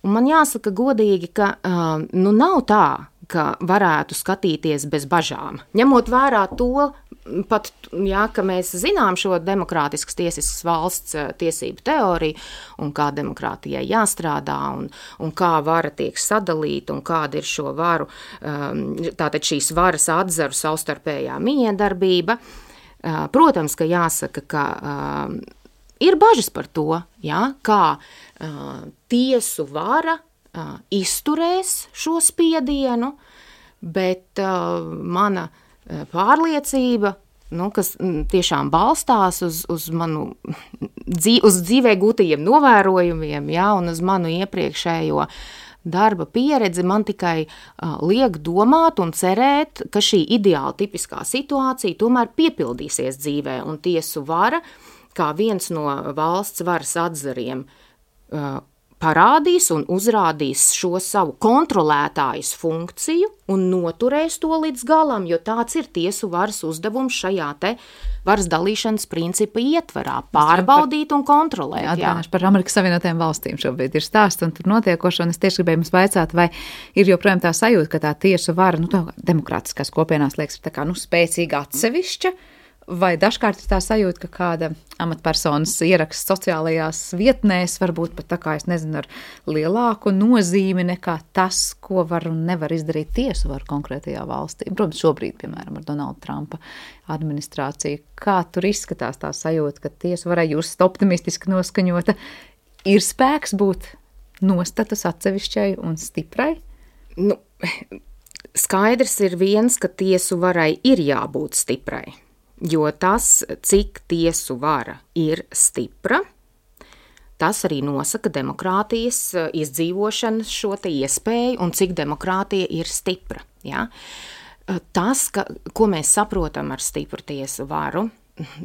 un man jāsaka godīgi, ka nav tā, ka varētu skatīties bez bažām. Ņemot vērā to, pat, jā, ka mēs zinām šo demokrātiskas tiesiskas valsts tiesību teoriju un kā demokrātijai jāstrādā un kā vara tiek sadalīta un kāda ir šo varu, tātad šīs varas atzaru savstarpējā miedarbība. Protams, ka jāsaka, ka ir bažas par to, jā, kā tiesu vara izturēs šo spiedienu, bet mana pārliecība, kas tiešām balstās uz manu uz dzīvē gūtajiem novērojumiem, jā, un uz manu iepriekšējo darba pieredzi, man tikai liek domāt un cerēt, ka šī ideāla tipiskā situācija tomēr piepildīsies dzīvē, un tiesu vara, kā viens no valsts varas atzariem, parādīs un uzrādīs šo savu kontrolētājas funkciju un noturēs to līdz galam, jo tāds ir tiesu varas uzdevums šajā te varas dalīšanas principa ietvarā – pārbaudīt un kontrolēt. Atgādināšu par Amerikas Savienotajām valstīm šobrīd ir stāsts un tur notiekošo, un es tieši gribēju jums vaicāt, vai ir joprojām tā sajūta, ka tā tiesu vara, tā demokrātiskās kopienās liekas tā kā, spēcīga atsevišķa, vai dažkārt ir tā sajūta, ka kāda amatpersonas ieraksts sociālajās vietnēs varbūt pat tā kā, es nezinu, ar lielāku nozīmi nekā tas, ko var un nevar izdarīt tiesu varu konkrētajā valstī. Protams, šobrīd, piemēram, ar Donalda Trumpa administrāciju. Kā tur izskatās tā sajūta, ka tiesu varai jūs optimistiski noskaņota, ir spēks būt nostatus atsevišķai un stiprai? Skaidrs ir viens, ka tiesu varai ir jābūt stiprai. Jo tas, cik tiesu vara ir stipra, tas arī nosaka demokrātijas izdzīvošanas šo te iespēju un cik demokrātija ir stipra. Ja? Tas, ko mēs saprotam ar stipru tiesu varu,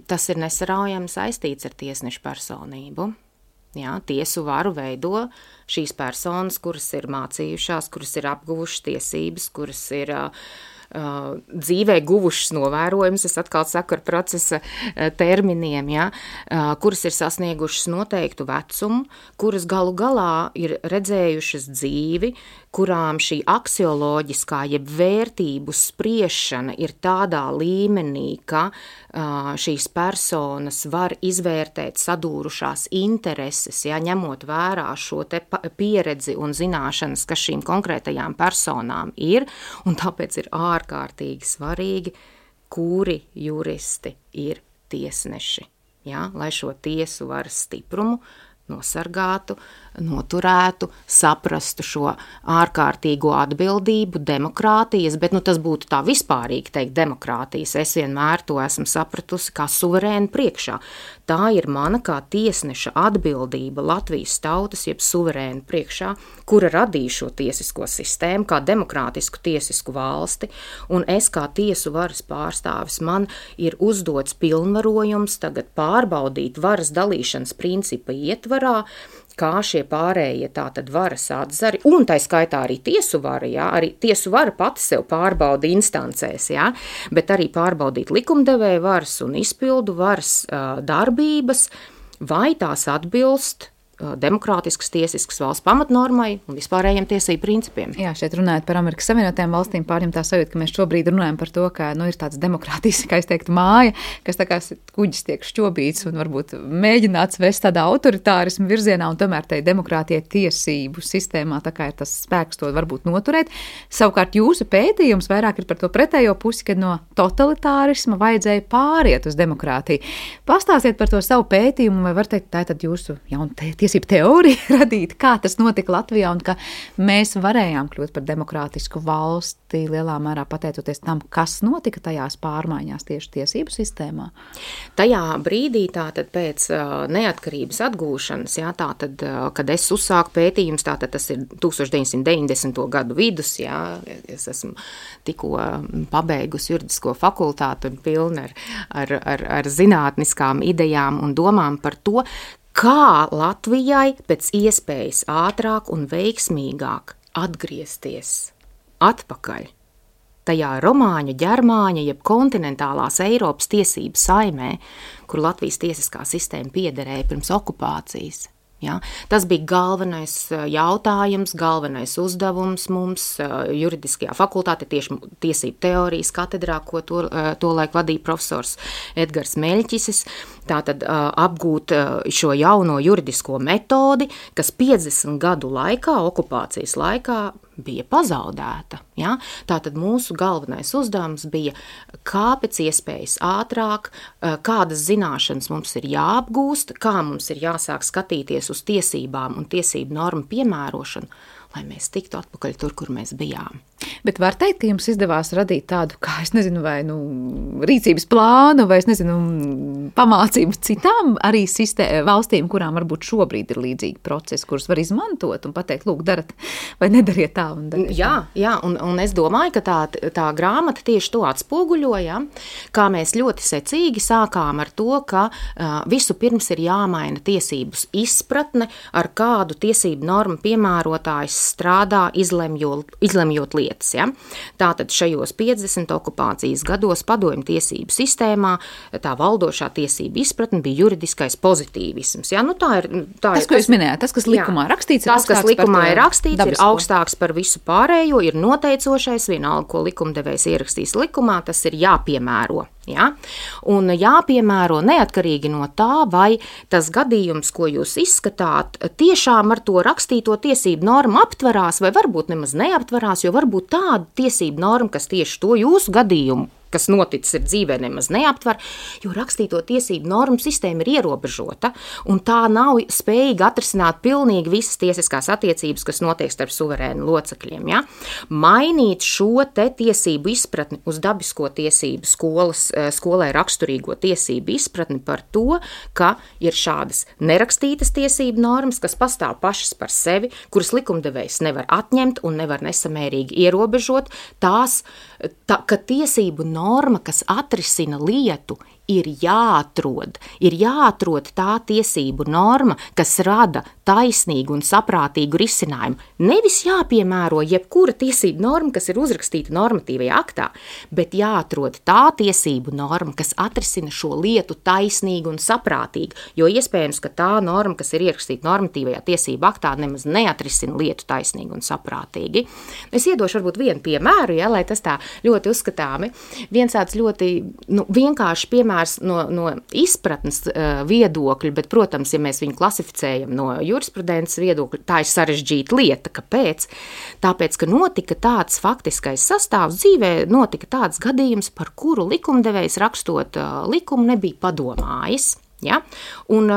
tas ir nesaraujami saistīts ar tiesnešu personību. Ja? Tiesu varu veido šīs personas, kuras ir mācījušās, kuras ir apguvušas tiesības, kuras ir dzīvē guvušas novērojumus, es atkal saku ar procesa terminiem, ja, kuras ir sasniegušas noteiktu vecumu, kuras galu galā ir redzējušas dzīvi, kurām šī aksioloģiskā jeb vērtību spriešana ir tādā līmenī, ka šīs personas var izvērtēt sadūrušās intereses, ja, ņemot vērā šo te pieredzi un zināšanas, kas šīm konkrētajām personām ir, un tāpēc ir ārkārtīgi svarīgi, kuri juristi ir tiesneši, ja, lai šo tiesu varas stiprumu nosargātu, noturētu, saprastu šo ārkārtīgo atbildību, demokrātijas, bet tas būtu tā vispārīgi teikt demokrātijas. Es vienmēr to esmu sapratusi kā suverēnu priekšā. Tā ir mana kā tiesneša atbildība Latvijas tautas, jeb suverēnu priekšā, kura radīja šo tiesisko sistēmu, kā demokrātisku tiesisku valsti, un es kā tiesu varas pārstāvis man ir uzdots pilnvarojums tagad pārbaudīt varas dalīšanas principa ietvarā, kā šie pārējie tātad varas atzari, un tai skaitā arī tiesu vara, jā, arī tiesu vara pati sev pārbauda instancēs, jā, bet arī pārbaudīt likumdevēja varas un izpildu varas darbības, vai tās atbilst demokrātiskas tiesiskas valsts pamatnormai un vispārējiem tiesību principiem. Jā, šeit runājot par Amerikas Savienotajām valstīm, pārņem tā sajūta, ka mēs šobrīd runājam par to, ka ir tāds demokrātijas, kā es teiktu, māja, kas tā kā kuģis tiek šķobīts un varbūt mēģināts vest tādā autoritārismu virzienā, un tomēr tai demokrātijai tiesību sistēmā tā kā ir tas spēks to varbūt noturēt. Savukārt jūsu pētījums vairāk ir par to pretējo pusi, kad no totalitārisma vajadzēja pāriet uz demokrātiju. Pastāstiet par to savu pētījumu, vai var teikt, tā ir tad jūsu tiesību teorija radīta, kā tas notika Latvijā un ka mēs varējām kļūt par demokrātisku valsti lielā mērā pateicoties tam, kas notika tajās pārmaiņās tieši tiesību sistēmā. Tajā brīdī, tātad pēc neatkarības atgūšanas, jā, tātad, kad es uzsāku pētījums, tātad tas ir 1990. Gadu vidus, jā, es esmu tikko pabeigusi juridisko fakultātu un pilna ar zinātniskām idejām un domām par to, kā Latvijai pēc iespējas ātrāk un veiksmīgāk atgriezties atpakaļ tajā romāņu, ģermāņa, jeb kontinentālās Eiropas tiesību saimē, kur Latvijas tiesiskā sistēma piederēja pirms okupācijas. Ja? Tas bija galvenais jautājums, galvenais uzdevums mums juridiskajā fakultātē, tieši tiesību teorijas katedrā, ko tolaik vadīja profesors Edgars Meļķisis. Tātad apgūt šo jauno juridisko metodi, kas 50 gadu laikā, okupācijas laikā, bija pazaudēta. Ja? Tātad mūsu galvenais uzdevums bija, kā pēc iespējas ātrāk, kādas zināšanas mums ir jāapgūst, kā mums ir jāsāk skatīties uz tiesībām un tiesību normu piemērošanu, lai mēs tiktu atpakaļ tur, kur mēs bijām. Bet var teikt, ka jums izdevās radīt tādu, kā es nezinu, vai rīcības plānu, vai es nezinu, pamācību citām arī valstīm, kurām varbūt šobrīd ir līdzīgi procesi, kurus var izmantot un pateikt, lūk, darat vai nedariet tā un dariet. Jā, un es domāju, ka tā grāmata tieši to atspoguļoja, kā mēs ļoti secīgi sākām ar to, ka visu pirms ir jāmaina tiesības izpratne, ar kādu tiesību normu piemērotājs strādā, izlemjot lietas. Ja? Tātad šajos 50 okupācijas gados padomju tiesību sistēmā tā valdošā tiesība izpratne bija juridiskais pozitīvisms. Ja? Nu, tā ir, tas, ko jūs minējāt, tas, kas likumā rakstīts, tas, kas likumā ir rakstīts, ir augstāks par visu pārējo, ir noteicošais, vienalga, ko likumdevējs ierakstīs likumā, tas ir jāpiemēro. Ja? Un jāpiemēro neatkarīgi no tā, vai tas gadījums, ko jūs izskatāt, tiešām ar to rakstīto tiesību normu aptverās, vai varbūt nemaz neaptverās, jo varbūt tāda tiesību norma, kas tieši to jūsu gadījumu, kas noticis ir dzīvē, nemaz neaptver, jo rakstīto tiesību normu sistēma ir ierobežota, un tā nav spējīga atrisināt pilnīgi visas tiesiskās attiecības, kas notiek starp suverēnu locekļiem. Ja? Mainīt šo te tiesību izpratni uz dabisko tiesību skolai raksturīgo tiesību izpratni par to, ka ir šādas nerakstītas tiesību normas, kas pastāv pašas par sevi, kuras likumdevējs nevar atņemt un nevar nesamērīgi ierobežot, ka tiesību norma, kas atrisina lietu, ir jāatrod tā tiesību norma, kas rada taisnīgu un saprātīgu risinājumu. Nevis jāpiemēro jebkura tiesību norma, kas ir uzrakstīta normatīvajā aktā, bet jāatrod tā tiesību norma, kas atrisina šo lietu taisnīgi un saprātīgi, jo iespējams, ka tā norma, kas ir ierakstīta normatīvajā tiesību aktā, nemaz neatrisina lietu taisnīgi un saprātīgi. Es iedošu varbūt vienu piemēru, ja, lai tas tā ļoti uzskatāmi. Viens tāds ļoti vienkārši piemērs no izpratnes viedokļa, bet, protams, ja mēs viņu klasificējam no jurisprudences viedokļa, tā ir sarežģīta lieta. Kāpēc? Tāpēc, ka notika tāds faktiskais sastāvs dzīvē, notika tāds gadījums, par kuru likumdevējs rakstot likumu nebija padomājis. Ja? Un,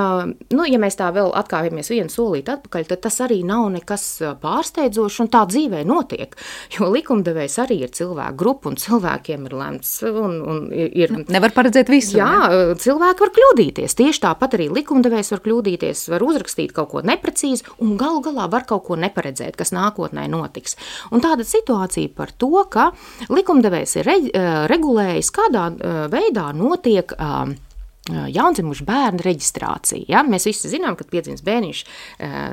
ja mēs tā vēl atkāpjamies vienu solīti atpakaļ, tad tas arī nav nekas pārsteidzošs, un tā dzīvē notiek, jo likumdevējs arī ir cilvēku grupa, un cilvēkiem ir lemts. Nevar paredzēt visu. Jā, cilvēki var kļūdīties. Tieši tāpat arī likumdevējs var kļūdīties, var uzrakstīt kaut ko neprecīzi, un galu galā var kaut ko neparedzēt, kas nākotnē notiks. Un tāda situācija par to, ka likumdevējs ir regulējis, kādā veidā notiek jaundzimušu bērnu reģistrācija. Ja? Mēs visi zinām, ka piedzimst bērniņš,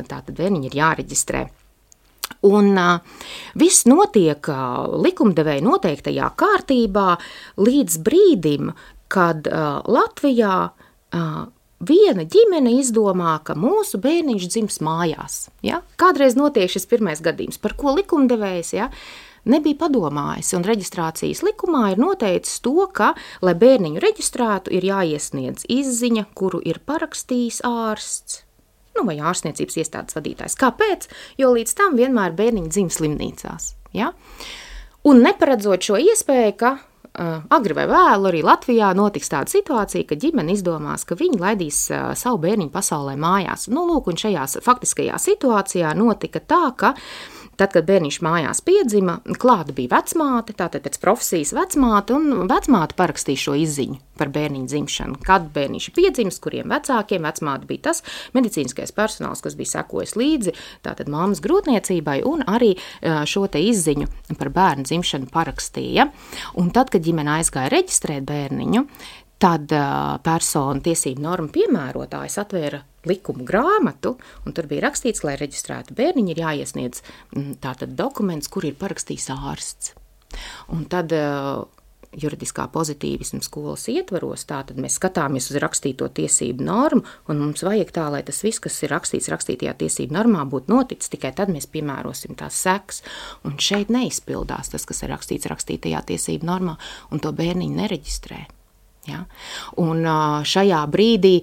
tātad bērniņi ir jāreģistrē. Un viss notiek likumdevēja noteiktajā kārtībā līdz brīdim, kad Latvijā viena ģimene izdomā, ka mūsu bērniņš dzims mājās. Ja? Kādreiz notiek šis pirmais gadījums, par ko likumdevējs, ja, nebija padomājis, un reģistrācijas likumā ir noteicis to, ka, lai bērniņu reģistrētu, ir jāiesniedz izziņa, kuru ir parakstījis ārsts, vai ārstniecības iestādes vadītājs. Kāpēc? Jo līdz tam vienmēr bērniņi dzim slimnīcās. Ja? Un neparedzot šo iespēju, ka agri vai vēlu arī Latvijā notiks tāda situācija, ka ģimene izdomās, ka viņi laidīs savu bērniņu pasaulē mājās. Nu, lūk, un šajā faktiskajā situācijā notika tā, ka tad, kad bērniņš mājās piedzima, klāta bija vecmāte, tātad pēc profesijas vecmāte, un vecmāte parakstīja šo izziņu par bērniņu dzimšanu. Kad bērniņš ir piedzimis, kuriem vecākiem, vecmāte bija tas medicīniskais personāls, kas bija sekojis līdzi, tātad mammas grūtniecībai, un arī šo te izziņu par bērnu dzimšanu parakstīja. Un tad, kad ģimene aizgāja reģistrēt bērniņu, tad personu tiesību norma piemērotājs atvēra likumu grāmatu, un tur bija rakstīts, lai reģistrētu bērniņu, ir jāiesniedz tātad dokuments, kur ir parakstījis ārsts. Un tad juridiskā pozitīvisma skolas ietvaros, tātad mēs skatāmies uz rakstīto tiesību normu, un mums vajag tā, lai tas viss, kas ir rakstīts rakstītajā tiesību normā, būtu noticis, tikai tad mēs piemērosim tās sekas. Un šeit neizpildās tas, kas ir rakstīts rakstītajā tiesību normā, un to bērniņu nereģistrē. Ja? Un šajā brīdī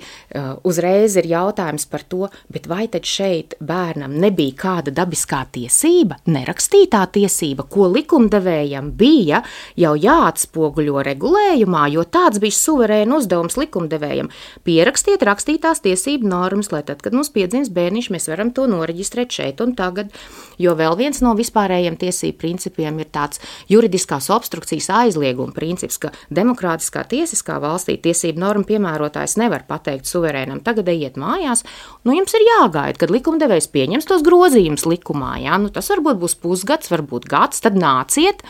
uzreiz ir jautājums par to, bet vai tad šeit bērnam nebija kāda dabiskā tiesība, nerakstītā tiesība, ko likumdevējam bija jau jāatspoguļo regulējumā, jo tāds bija suverēna uzdevums likumdevējam. Pierakstiet rakstītās tiesību normas, lai tad, kad mums piedzims bērniņš, mēs varam to noreģistrēt šeit un tagad, jo vēl viens no vispārējiem tiesību principiem ir tāds juridiskās obstrukcijas aizlieguma princips, ka demokrātiskā tiesiskā valstī tiesību norma piemērotājs nevar pateikt suverēnam, tagad ejiet mājās, nu jums ir jāgaida, kad likumdevējs pieņems tos grozījumus likumā, ja? Nu tas varbūt būs pusgads, varbūt gads, tad nāciet,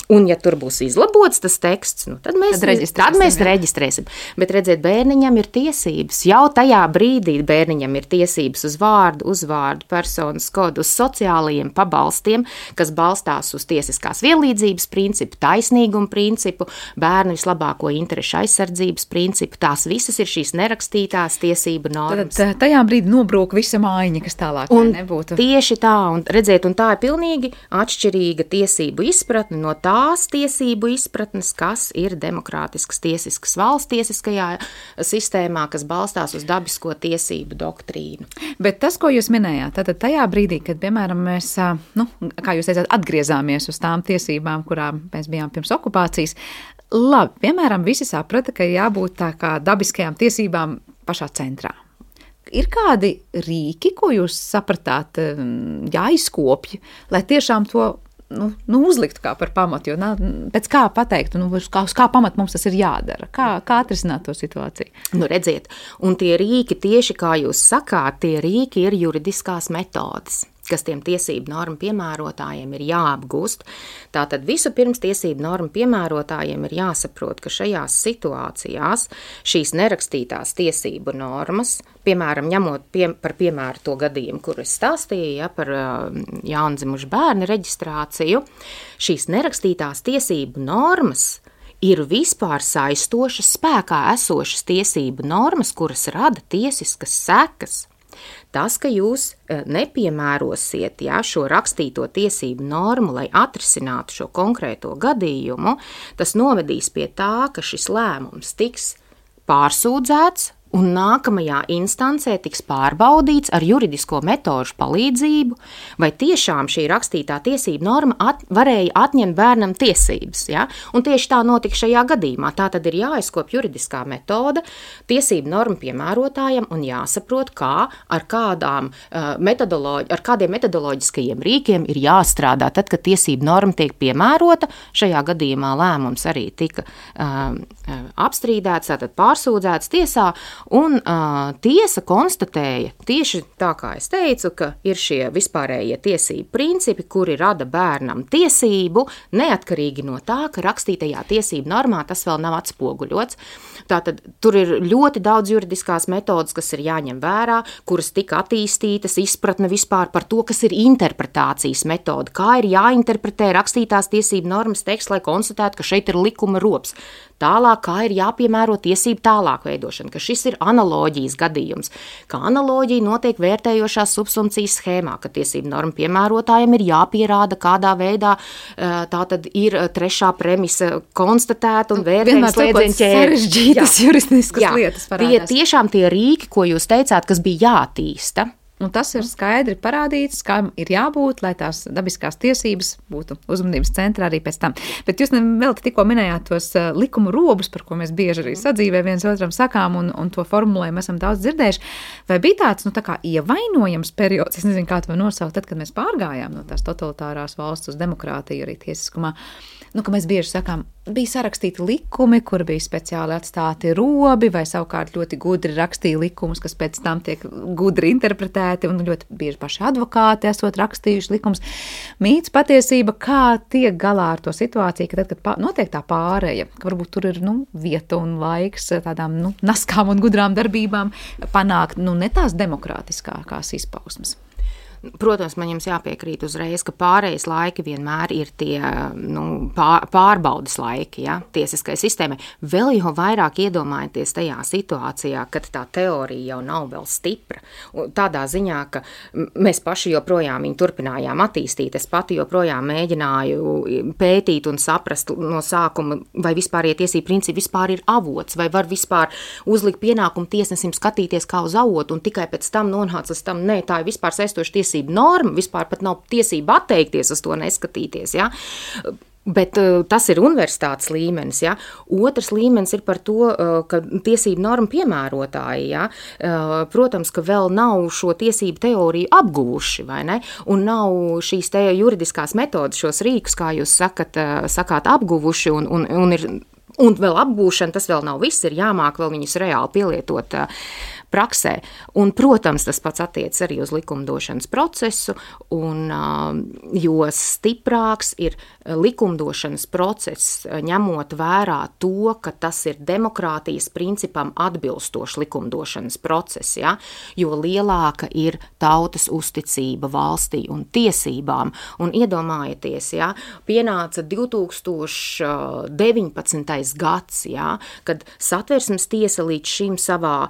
un ja tur būs izlabots tas teksts, nu tad mēs reģistrēsim. Bet redziet, bērniņam ir tiesības, jau tajā brīdī bērniņam ir tiesības uz vārdu, uzvārdu, personas kodu, uz sociālajiem pabalstiem, kas balstās uz tiesiskās vienlīdzības principu, taisnīgumu principu, bērnu vislabāko interešu aizsardzības principu. Tās visas ir šīs nerakstītās tiesību normas. Tad tajā brīdī nobrūk visa mājiņa, kas tālāk nebūtu. Tieši tā, un redziet, un tā ir pilnīgi atšķirīga tiesību izpratne no tās tiesību izpratnes, kas ir demokrātiskas tiesiskas valsts tiesiskajā sistēmā, kas balstās uz dabisko tiesību doktrīnu. Bet tas, ko jūs minējāt, tātad tajā brīdī, kad, piemēram, mēs, kā jūs teicāt, atgriezāmies uz tām tiesībām, kurām mēs bijām pirms okupācijas, labi, piemēram, visi saprata, ka jābūt tā kā dabiskajām tiesībām pašā centrā. Ir kādi rīki, ko jūs sapratāt, jāizkopja, lai tiešām to uzliktu kā par pamatu, jo pēc kā pateikt, uz kā pamatu mums tas ir jādara, kā atrisināt to situāciju? Nu, redziet, un tie rīki, tieši kā jūs sakāt, tie rīki ir juridiskās metodes, kas tiem tiesību normu piemērotājiem ir jāapgūst. Tātad vispirms tiesību normu piemērotājiem ir jāsaprot, ka šajās situācijās šīs nerakstītās tiesību normas, piemēram, ņemot par piemēru to gadījumu, kur es stāstīju, par jaundzimušu bērnu reģistrāciju, šīs nerakstītās tiesību normas ir vispār saistošas, spēkā esošas tiesību normas, kuras rada tiesiskas sekas. Tas, ka jūs nepiemērosiet šo rakstīto tiesību normu, lai atrisinātu šo konkrēto gadījumu, tas novedīs pie tā, ka šis lēmums tiks pārsūdzēts un nākamajā instancē tiks pārbaudīts ar juridisko metožu palīdzību, vai tiešām šī rakstītā tiesība norma varēja atņemt bērnam tiesības. Ja? Un tieši tā notika šajā gadījumā. Tā tad ir jāizkop juridiskā metode tiesību normu piemērotājiem un jāsaprot, kā ar kādiem metodoloģiskajiem rīkiem ir jāstrādā. Tad, kad tiesību norma tiek piemērota, šajā gadījumā lēmums arī tika apstrīdēts, tātad pārsūdzēts tiesā, un tiesa konstatēja tieši tā, kā es teicu, ka ir šie vispārējie tiesību principi, kuri rada bērnam tiesību, neatkarīgi no tā, ka rakstītajā tiesību normā tas vēl nav atspoguļots. Tātad tur ir ļoti daudz juridiskās metodas, kas ir jāņem vērā, kuras tika attīstītas, izpratne vispār par to, kas ir interpretācijas metoda, kā ir jāinterpretē rakstītās tiesību normas teksts, lai konstatētu, ka šeit ir likuma rops. Tālāk, kā ir jāpiemēro tiesību tālāk veidošana, ka šis ir analoģijas gadījums, ka analoģija notiek vērtējošās subsumpcijas schēmā, ka tiesību norma piemērotājiem ir jāpierāda, kādā veidā tā tad ir trešā premisa konstatēta un vērtējums slēdzienu ķēde. Sarežģītas juristiskas lietas parādās. Tiešām tie rīki, ko jūs teicāt, kas bija jātīsta, Un tas ir skaidri parādīts, kam ir jābūt, lai tās dabiskās tiesības būtu uzmanības centrā arī pēc tam. Bet jūs vēl tikko minējāt tos likumu robus, par ko mēs bieži arī sadzīvē viens otram sakām, un to formulējumu esam daudz dzirdējuši. Vai bija tāds, tā kā ievainojams periods, es nezinu, kā to nosaukt, tad, kad mēs pārgājām no tās totalitārās valsts uz demokrātiju arī tiesiskumā, ka mēs bieži sakām, bija sarakstīti likumi, kur bija speciāli atstāti robi, vai savukārt ļoti gudri rakstīja likumus, kas pēc tam tiek gudri interpretēti, un ļoti bieži paši advokāti esot rakstījuši likumus. Mīts patiesība, kā tiek galā ar to situāciju, ka tad, kad notiek tā pāreja, ka varbūt tur ir vieta un laiks tādām naskām un gudrām darbībām panākt ne tās demokrātiskākās izpausmes. Protams, man jums jāpiekrīt uzreiz, ka pārējais laiki vienmēr ir tie pārbaudas laiki, ja, tiesiskai sistēmai. Vēl jau vairāk iedomājieties tajā situācijā, kad tā teorija jau nav vēl stipra. Tādā ziņā, ka mēs paši joprojām viņu turpinājām attīstīt. Es pati joprojām mēģināju pētīt un saprast no sākuma, vai vispār tiesību principi vispār ir avots, vai var vispār uzlikt pienākumu tiesnesim skatīties kā uz avotu, un tikai pēc tam nonāca līdz tam, nē, tā ir vispār saistoša tiesība norma, vispār pat nav tiesība atteikties uz to neskatīties, ja? Bet tas ir universitātes līmenis, ja? Otrs līmenis ir par to, ka tiesību norma piemērotāji, ja? Protams, ka vēl nav šo tiesību teoriju apguvuši, vai ne? Un nav šīs te juridiskās metodas, šos rīkus, kā jūs sakāt, apguvuši un vēl apgūšana, tas vēl nav viss, ir jāmāk vēl viņus reāli pielietot praksē. Un, protams, tas pats attiec arī uz likumdošanas procesu, jo stiprāks ir likumdošanas process, ņemot vērā to, ka tas ir demokrātijas principam atbilstošs likumdošanas process, ja? Jo lielāka ir tautas uzticība valstī un tiesībām. Un iedomājieties, ja? Pienāca 2019. Gads, ja? Kad Satversmes tiesa līdz šim savā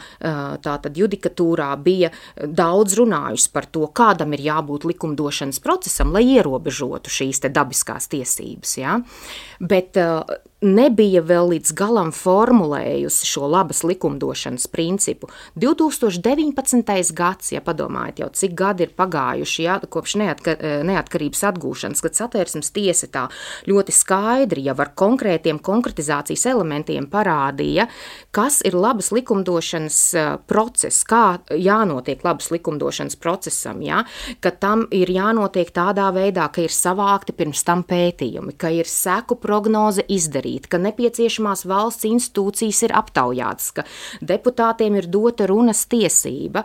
tātad judikatūrā bija daudz runājusi par to, kādam ir jābūt likumdošanas procesam, lai ierobežotu šīs te dabiskās tiesības. Ja? Bet nebija vēl līdz galam formulējusi šo labas likumdošanas principu. 2019. Gads, ja padomājat jau, cik gadi ir pagājuši, ja, kopš neatkarības atgūšanas, kad Satversmes tiesa tā ļoti skaidri jau ar konkrētiem konkretizācijas elementiem parādīja, kas ir labas likumdošanas process, kā jānotiek labas likumdošanas procesam, ja, ka tam ir jānotiek tādā veidā, ka ir savākti pirms tam pētījumi, ka ir seku prognoze izdarīta, ka nepieciešamās valsts institūcijas ir aptaujātas, ka deputātiem ir dota runas tiesība,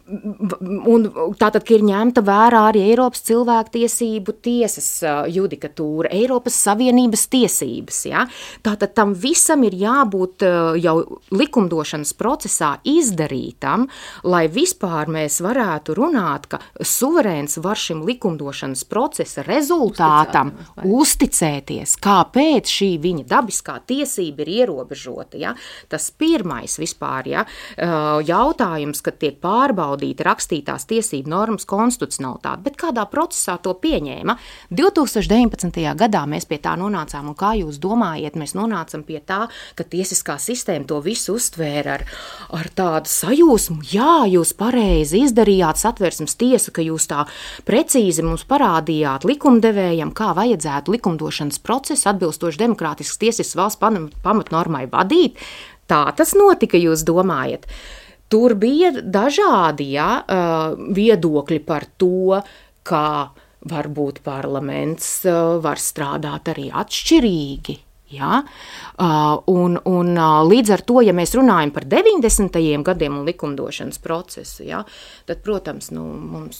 un tātad, ka ir ņemta vērā arī Eiropas cilvēktiesību tiesas judikatūra, Eiropas Savienības tiesības, ja? Tātad tam visam ir jābūt jau likumdošanas procesā izdarītam, lai vispār mēs varētu runāt, ka suverēns var šim likumdošanas procesa rezultātam uzticēties, kāpēc šī viņa dabiskā tiesība ir ierobežota, ja? Tas pirmais vispār, ja? Jautājums, kad tiek pārbaudīta rakstītās tiesību normas konstitucionalitāte, bet kādā procesā to pieņēma? 2019. gadā mēs pie tā nonācām, un kā jūs domājat, mēs nonācam pie tā, ka tiesiskā sistēma to visu uztvēra ar tādu sajūsmu, jā, jūs pareizi izdarījāt, Satversmes tiesa, ka jūs tā precīzi mums parādījāt likumdevējam, kā vajadzētu likumdošanas procesu atbilstoši demokrātiskas tiesiskas valsts pamatnormai vadīt. Tā tas notika, jūs domājat? Tur bija dažādi viedokļi par to, kā varbūt parlaments var strādāt arī atšķirīgi. Ja? Un līdz ar to, ja mēs runājam par 90. gadiem un likumdošanas procesu, ja, tad, protams, mums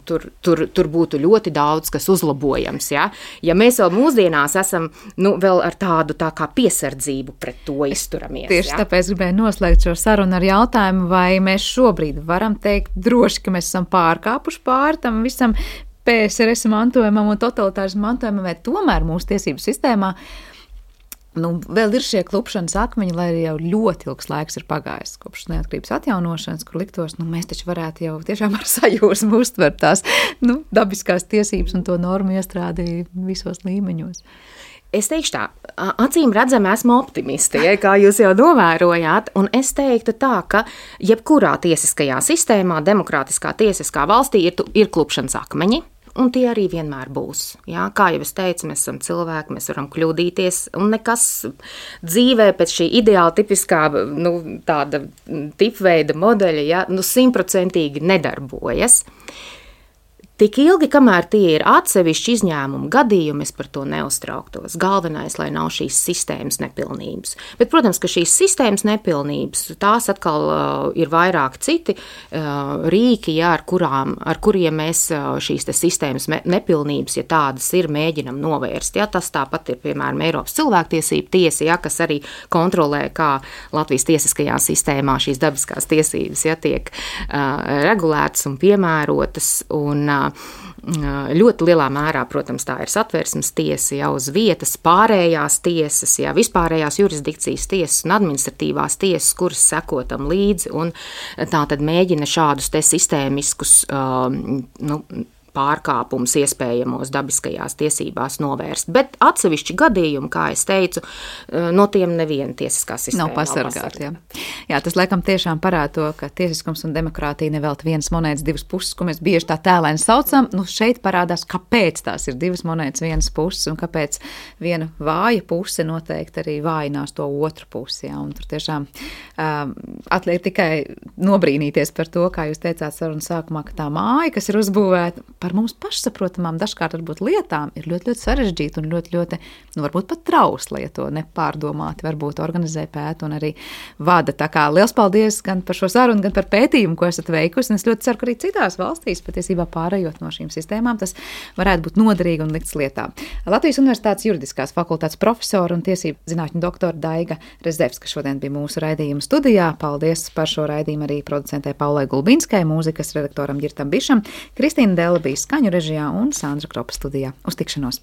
tur būtu ļoti daudz, kas uzlabojams. Ja, ja mēs vēl mūsdienās esam vēl ar tādu tā kā piesardzību pret to izturamies. Tieši tāpēc gribēju noslēgt šo sarunu ar jautājumu, vai mēs šobrīd varam teikt droši, ka mēs esam pārkāpuši pāri tam visam PSRS mantojumam un totalitārismu mantojumam, vai tomēr mūsu tiesību sistēmā Vēl ir šie klupšanas akmeņi, lai arī jau ļoti ilgs laiks ir pagājis kopš neatkarības atjaunošanas, kur liktos, mēs taču varētu jau tiešām ar sajūsmu uztvert tās dabiskās tiesības un to normu iestrādi visos līmeņos. Es teikšu tā, acīm redzami esmu optimiste, kā jūs jau novērojāt, un es teiktu tā, ka jebkurā tiesiskajā sistēmā, demokrātiskā tiesiskā valstī ir klupšanas akmeņi. Un tie arī vienmēr būs. Jā, kā jau es teicu, mēs esam cilvēki, mēs varam kļūdīties, un nekas dzīvē pēc šī ideāla tipiskā tāda tipveida modeļa 100% nedarbojas. Tik ilgi, kamēr tie ir atsevišķi izņēmumu gadījumi, es par to neuztrauktos. Galvenais, lai nav šīs sistēmas nepilnības. Bet, protams, ka šīs sistēmas nepilnības, tās atkal ir vairāk citi rīki, ar kuriem mēs šīs sistēmas nepilnības, ja tādas ir, mēģinam novērst. Ja, tas tāpat ir, piemēram, Eiropas cilvēktiesība tiesa, ja, kas arī kontrolē, kā Latvijas tiesiskajā sistēmā šīs dabiskās tiesības tiek regulētas un piemērotas. Un ļoti lielā mērā, protams, tā ir Satversmes tiesa, jau uz vietas pārējās tiesas, vispārējās jurisdikcijas tiesas un administratīvās tiesas, kuras seko tam līdzi un tā tad mēģina šādus te sistēmiskus pārkāpumus iespējamos dabiskajās tiesībās novērst. Bet atsevišķi gadījumi, kā es teicu, no tiem neviena tiesiskā sistēma nav pasargāta. Jā, tas laikam tiešām parāda to, ka tiesiskums un demokrātija nevelti vienas monētas divas puses, ko mēs bieži tā tēlēni saucam. Šeit parādās, kāpēc tās ir divas monētas vienas puses un kāpēc viena vāja puse noteikti arī vājinās to otru pusi. Jā. Un tur tiešām atliek tikai nobrīnīties par to, kā jūs teicāt sarunas sākumā, ka tā māja, kas ir uzbūvēta par mums pašsaprotamām, dažkārt varbūt lietām, ir ļoti, ļoti sarežģīta un ļoti, ļoti, varbūt pat trausla, ja to nepārdomāti varbūt organizē, pēta un arī vada. Tā kā liels paldies gan par šo sarunu, gan par pētījumu, ko esat veikusi, un es ļoti ceru, ka arī citās valstīs, patiesībā pārējot no šīm sistēmām, tas varētu būt noderīgi un likts lietā. Latvijas Universitātes juridiskās fakultātes profesora un tiesību zinātņu doktora Daiga Rezevska šodien bija mūsu raidījuma studijā. Paldies par šo raidījumu arī producentē Paulai Gulbinskai, mūzikas redaktoram Girtam Bišam, Kristīna Dela bija skaņu režijā un Sandra Kropa studijā. Uz tikšanos!